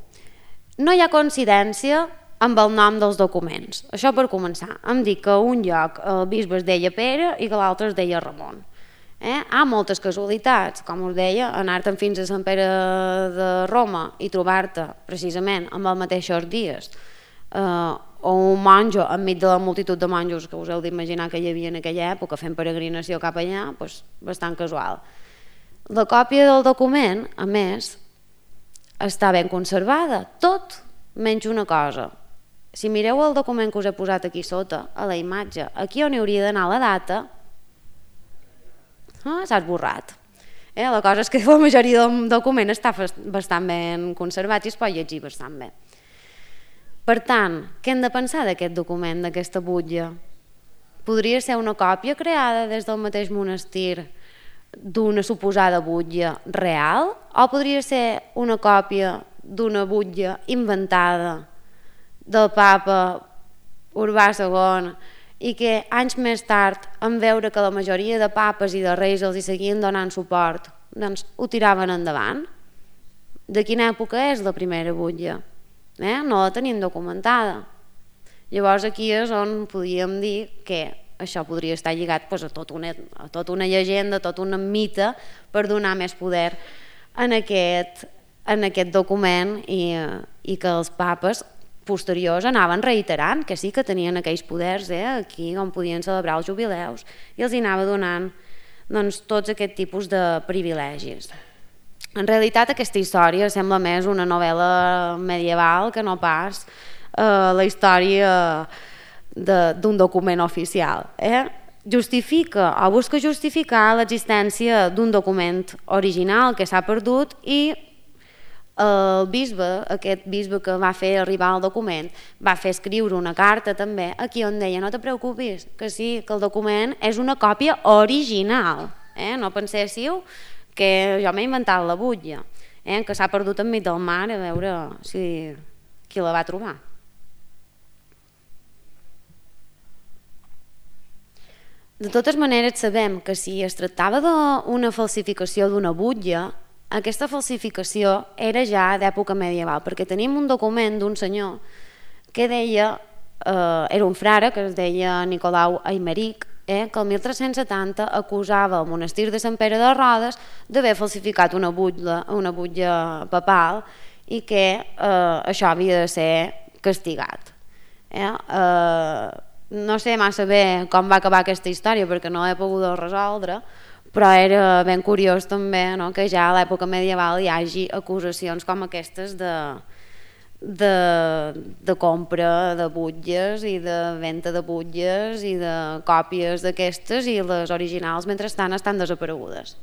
S1: No hi ha coincidència amb el nom dels documents. Això per començar. Em dic que un lloc el bisbe es deia Pere i que l'altre es deia Ramon. Hi ha moltes casualitats, com us deia, anar-te'n fins a Sant Pere de Roma i trobar-te precisament amb els mateixos dies o un monjo enmig de la multitud de monjos que us heu d'imaginar que hi havia en aquella època fent peregrinació cap allà, bastant casual. La còpia del document, a més, està ben conservada, tot menys una cosa. Si mireu el document que us he posat aquí sota, a la imatge, aquí on hi hauria d'anar la data, s'ha esborrat. La cosa és que la majoria del document està bastant ben conservat i es pot llegir bastant bé. Per tant, què hem de pensar d'aquest document, d'aquesta butlla? Podria ser una còpia creada des del mateix monestir d'una suposada butlla real o podria ser una còpia d'una butlla inventada del papa Urbà II i que anys més tard, en veure que la majoria de papes i de reis els hi seguien donant suport, doncs ho tiraven endavant. De quina època és la primera butlla? No la tenim documentada. Llavors aquí és on podríem dir que això podria estar lligat a tota una llegenda, a tot un mite per donar més poder en aquest document i que els papes posteriors anaven reiterant que sí que tenien aquells poders aquí on podien celebrar els jubileus i els hi anava donant tots aquest tipus de privilegis. En realitat aquesta història sembla més una novel·la medieval que no pas la història d'un document oficial. Justifica o busca justificar l'existència d'un document original que s'ha perdut i el bisbe, aquest bisbe que va fer arribar el document, va fer escriure una carta també aquí on deia no te preocupis, que sí, que el document és una còpia original. No penséssiu que jo m'he inventat la butlla, que s'ha perdut enmig del mar a veure qui la va trobar. De totes maneres sabem que si es tractava d'una falsificació d'una butlla, aquesta falsificació era ja d'època medieval, perquè tenim un document d'un senyor que deia, era un frare que es deia Nicolau Aimeric, que el 1370 acusava el monestir de Sant Pere de Rodes d'haver falsificat una butlla papal i que això havia de ser castigat. No sé massa bé com va acabar aquesta història perquè no l'he pogut resoldre, però era ben curiós també que ja a l'època medieval hi hagi acusacions com aquestes de compra de butlles i de venda de butlles i de còpies d'aquestes i les originals mentrestant estan desaparegudes.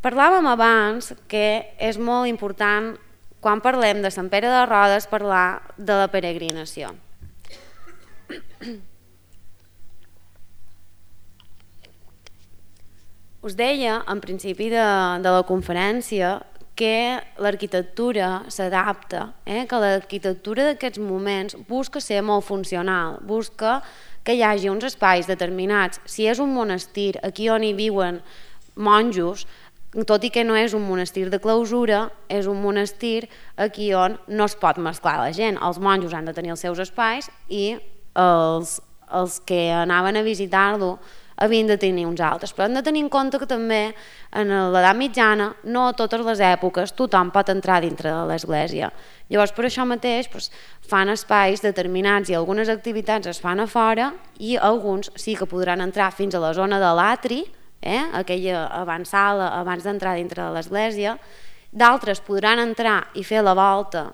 S1: Parlàvem abans que és molt important quan parlem de Sant Pere de Rodes parlar de la peregrinació. Us deia en principi de la conferència que l'arquitectura s'adapta, que l'arquitectura d'aquests moments busca ser molt funcional, busca que hi hagi uns espais determinats. Si és un monestir, aquí on hi viuen monjos, tot i que no és un monestir de clausura, és un monestir aquí on no es pot mesclar la gent. Els monjos han de tenir els seus espais i els que anaven a visitar-lo havien de tenir uns altres, però hem de tenir en compte que també en l'edat mitjana no a totes les èpoques tothom pot entrar dintre de l'església. Llavors per això mateix fan espais determinats i algunes activitats es fan a fora i alguns sí que podran entrar fins a la zona de l'atri, aquella avançada abans d'entrar dintre de l'església, d'altres podran entrar i fer la volta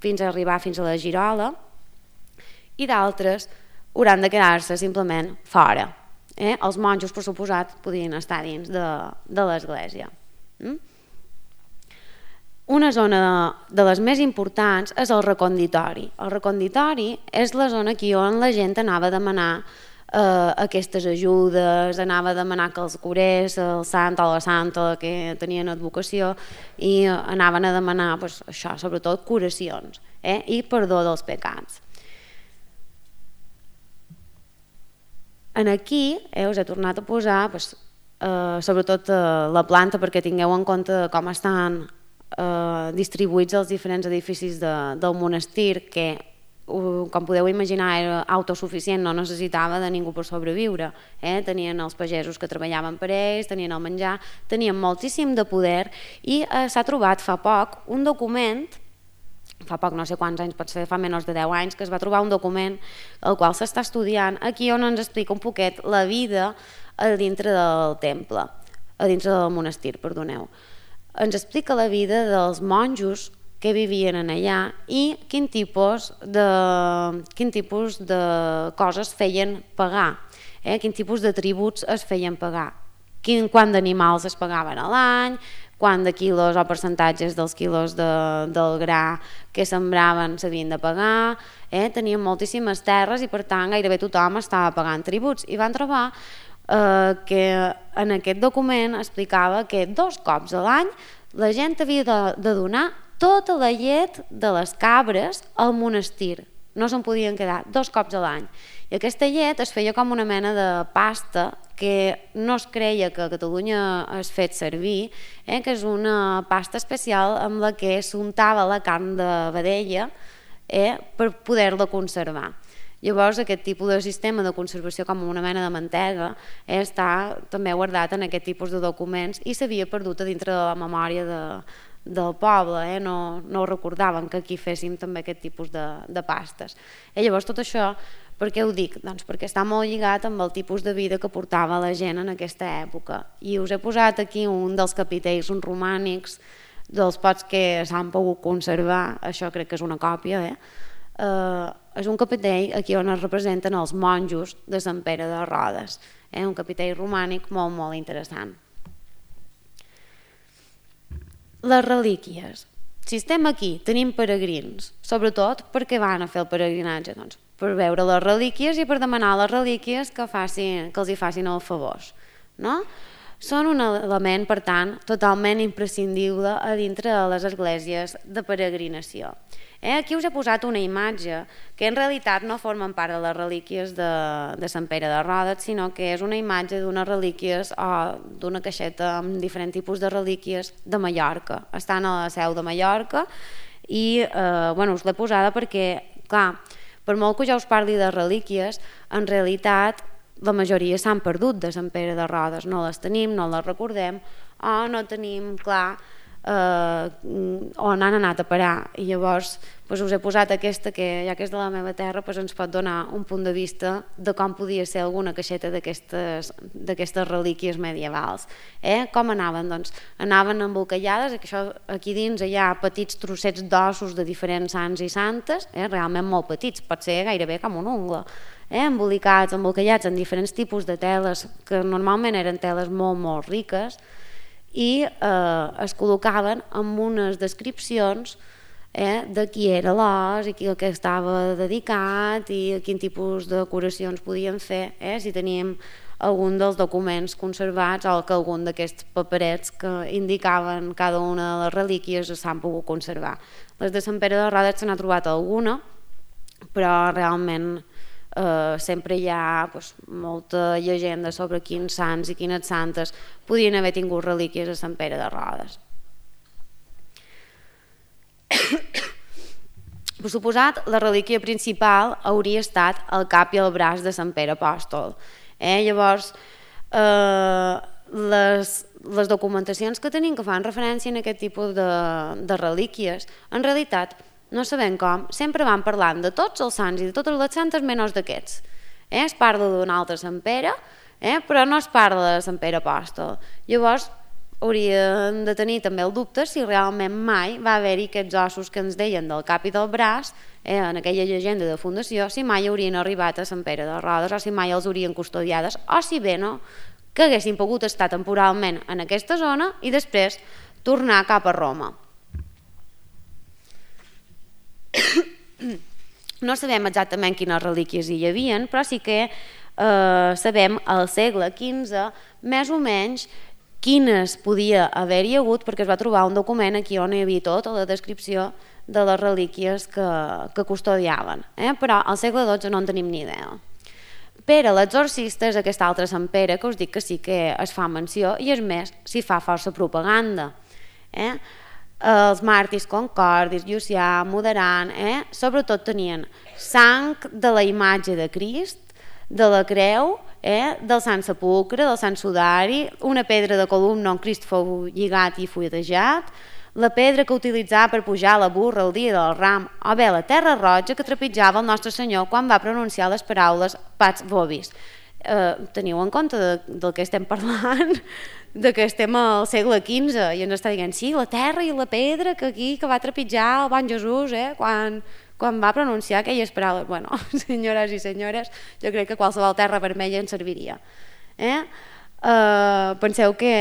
S1: fins a arribar fins a la girola i d'altres hauran de quedar-se simplement fora. Els monjos, per suposat, podien estar dins de l'església. Una zona de les més importants és el reconditori. El reconditori és la zona aquí on la gent anava a demanar aquestes ajudes, anava a demanar que els curés, el sant o la santa que tenien advocació i anaven a demanar això, sobretot curacions i perdó dels pecats. Aquí us he tornat a posar sobretot la planta perquè tingueu en compte com estan distribuïts els diferents edificis del monestir que, com podeu imaginar, era autosuficient, no necessitava de ningú per sobreviure. Tenien els pagesos que treballaven per ells, tenien el menjar, tenien moltíssim de poder i s'ha trobat fa poc un document, fa poc, no sé quants anys, potser fa menys de 10 anys, que es va trobar un document el qual s'està estudiant aquí on ens explica un poquet la vida a dintre del temple, a dintre del monestir, perdoneu. ens explica la vida dels monjos que vivien en allà i quin tipus de coses feien pagar, quin tipus de tributs es feien pagar, quant d'animals es pagaven a l'any, quant de quilos o percentatges dels quilos del gra que sembraven s'havien de pagar, tenien moltíssimes terres i per tant gairebé tothom estava pagant tributs i van trobar que en aquest document explicava que 2 cops a l'any la gent havia de donar tota la llet de les cabres al monestir, no se'n podien quedar 2 cops a l'any. I aquesta llet es feia com una mena de pasta que no es creia que a Catalunya es fet servir, que és una pasta especial amb la que s'untava la carn de vedella per poder-la conservar. Llavors aquest tipus de sistema de conservació com una mena de mantega està també guardat en aquest tipus de documents i s'havia perdut a dintre de la memòria del poble, no recordaven que aquí féssim també aquest tipus de pastes. Llavors tot això, per què ho dic? Doncs perquè està molt lligat amb el tipus de vida que portava la gent en aquesta època. I us he posat aquí un dels capitells romànics dels pocs que s'han pogut conservar, això crec que és una còpia, és un capitell aquí on es representen els monjos de Sant Pere de Rodes, un capitell romànic molt, molt interessant. Les relíquies. Si estem aquí, tenim peregrins, sobretot perquè van a fer el peregrinatge, doncs, per veure les relíquies i per demanar a les relíquies que els hi facin els favors. No? Són un element, per tant, totalment imprescindible a dintre de les esglésies de peregrinació. Aquí us he posat una imatge que en realitat no formen part de les relíquies de Sant Pere de Rodes, sinó que és una imatge d'unes relíquies o d'una caixeta amb diferents tipus de relíquies de Mallorca. Estan a la seu de Mallorca i us l'he posada perquè, clar, per molt que jo us parli de relíquies, en realitat la majoria s'han perdut de Sant Pere de Rodes, no les tenim, no les recordem o no tenim clar on han anat a parar. I llavors us he posat aquesta que, ja que és de la meva terra, ens pot donar un punt de vista de com podia ser alguna caixeta d'aquestes relíquies medievals. Com anaven? Doncs anaven embolcallades, aquí dins hi ha petits trossets d'ossos de diferents sants i santes, realment molt petits, pot ser gairebé com un ungla, embolcallats en diferents tipus de teles que normalment eren teles molt, molt riques, i es col·locaven amb unes descripcions de qui era l'os i a què estava dedicat i a quin tipus de curacions podien fer, si teníem algun dels documents conservats o que algun d'aquests paperets que indicaven cada una de les relíquies s'han pogut conservar. Les de Sant Pere de Rodes se n'ha trobat alguna, però realment sempre hi ha molta llegenda sobre quins sants i quines santes podien haver tingut relíquies a Sant Pere de Rodes. Per suposat, la relíquia principal hauria estat el cap i el braç de Sant Pere Apòstol. Llavors, les documentacions que tenim que fan referència a aquest tipus de relíquies, en realitat, no sabem com, sempre van parlant de tots els sants i de totes les santes menys d'aquests. Es parla d'un altre Sant Pere, però no es parla de Sant Pere Apòstol. Llavors hauríem de tenir també el dubte si realment mai va haver-hi aquests ossos que ens deien del cap i del braç, en aquella llegenda de fundació, si mai haurien arribat a Sant Pere de Rodes o si mai els haurien custodiades, o si bé no, que haguessin pogut estar temporalment en aquesta zona i després tornar cap a Roma. No sabem exactament quines relíquies hi havia, però sí que sabem al segle XV més o menys quines podia haver-hi hagut, perquè es va trobar un document aquí on hi havia tota la descripció de les relíquies que custodiaven, però al segle XII no en tenim ni idea. Pere l'exorcista és aquest altre Sant Pere que us dic que sí que es fa menció i és més, s'hi fa força propaganda. Els màrtirs Concordis, Llucià, Moderant, sobretot tenien sang de la imatge de Crist, de la creu, del Sant Sepulcre, del Sant Sudari, una pedra de columna on Crist fou lligat i fuetejat, la pedra que utilitzava per pujar la burra el dia del ram, o bé la terra roja que trepitjava el Nostre Senyor quan va pronunciar les paraules Pax Vobis. teniu en compte del que estem parlant, de que estem al segle XV i ens està dient, sí, la terra i la pedra que aquí que va trepitjar el bon Jesús quan va pronunciar aquelles paraules. Bueno, senyores i senyores, jo crec que qualsevol terra vermella ens serviria. Penseu que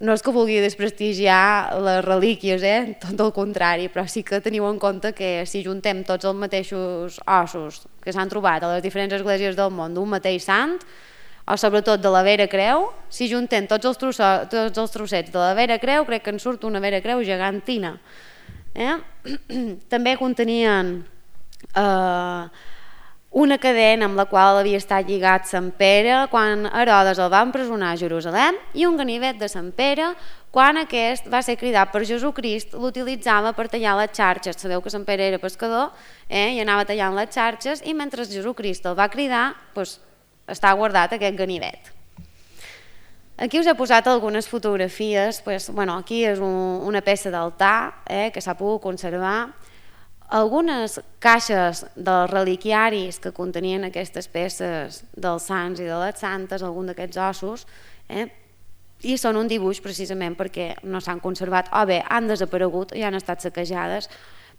S1: no és que vulgui desprestigiar les relíquies, tot el contrari, però sí que teniu en compte que si juntem tots els mateixos ossos que s'han trobat a les diferents esglésies del món d'un mateix sant, o sobretot de la Vera Creu, si juntem tots els trossets de la Vera Creu, crec que en surt una Vera Creu gegantina. També contenien una cadena amb la qual havia estat lligat Sant Pere quan Herodes el va empresonar a Jerusalem i un ganivet de Sant Pere quan aquest va ser cridat per Jesucrist, l'utilitzava per tallar les xarxes. Sabeu que Sant Pere era pescador i anava tallant les xarxes i mentre Jesucrist el va cridar està guardat aquest ganivet. Aquí us he posat algunes fotografies, aquí és una peça d'altar que s'ha pogut conservar. Algunes caixes dels reliquiaris que contenien aquestes peces dels sants i de les santes, algun d'aquests ossos, i són un dibuix precisament perquè no s'han conservat, o bé han desaparegut i han estat saquejades,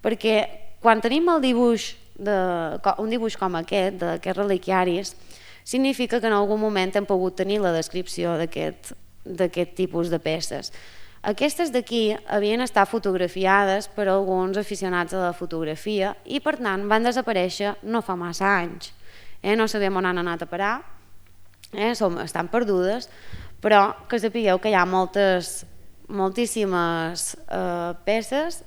S1: perquè quan tenim un dibuix com aquest, d'aquests reliquiaris, significa que en algun moment hem pogut tenir la descripció d'aquest tipus de peces. Aquestes d'aquí havien estat fotografiades per alguns aficionats a la fotografia i per tant van desaparèixer no fa massa anys. No sabem on han anat a parar, estan perdudes, però que sapigueu que hi ha moltíssimes peces.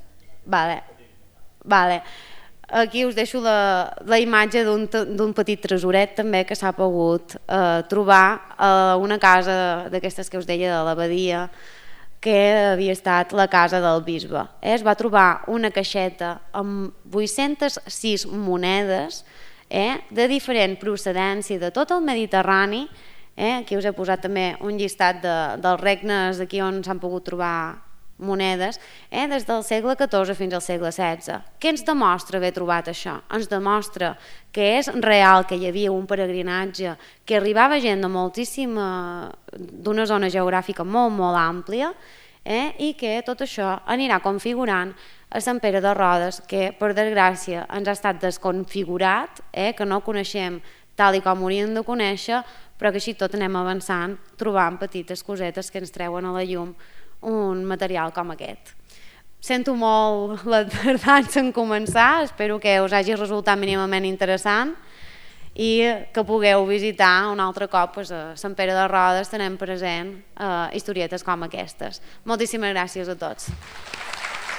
S1: Aquí us deixo la imatge d'un petit tresoret també que s'ha pogut trobar a una casa d'aquestes que us deia de l'abadia, que havia estat la casa del bisbe. Es va trobar una caixeta amb 806 monedes de diferent procedència de tot el Mediterrani. Aquí us he posat també un llistat dels regnes d'aquí on s'han pogut trobar monedes, des del segle XIV fins al segle XVI. Què ens demostra haver trobat això? Ens demostra que és real que hi havia un peregrinatge, que arribava gent d'una zona geogràfica molt, molt àmplia, i que tot això anirà configurant a Sant Pere de Rodes, que per desgràcia ens ha estat desconfigurat, que no coneixem tal i com hauríem de conèixer, però que així tot anem avançant, trobant petites cosetes que ens treuen a la llum un material com aquest. Sento molt la tardança en començar, espero que us hagi resultat mínimament interessant i que pugueu visitar un altre cop a Sant Pere de Rodes tenint present historietes com aquestes. Moltíssimes gràcies a tots.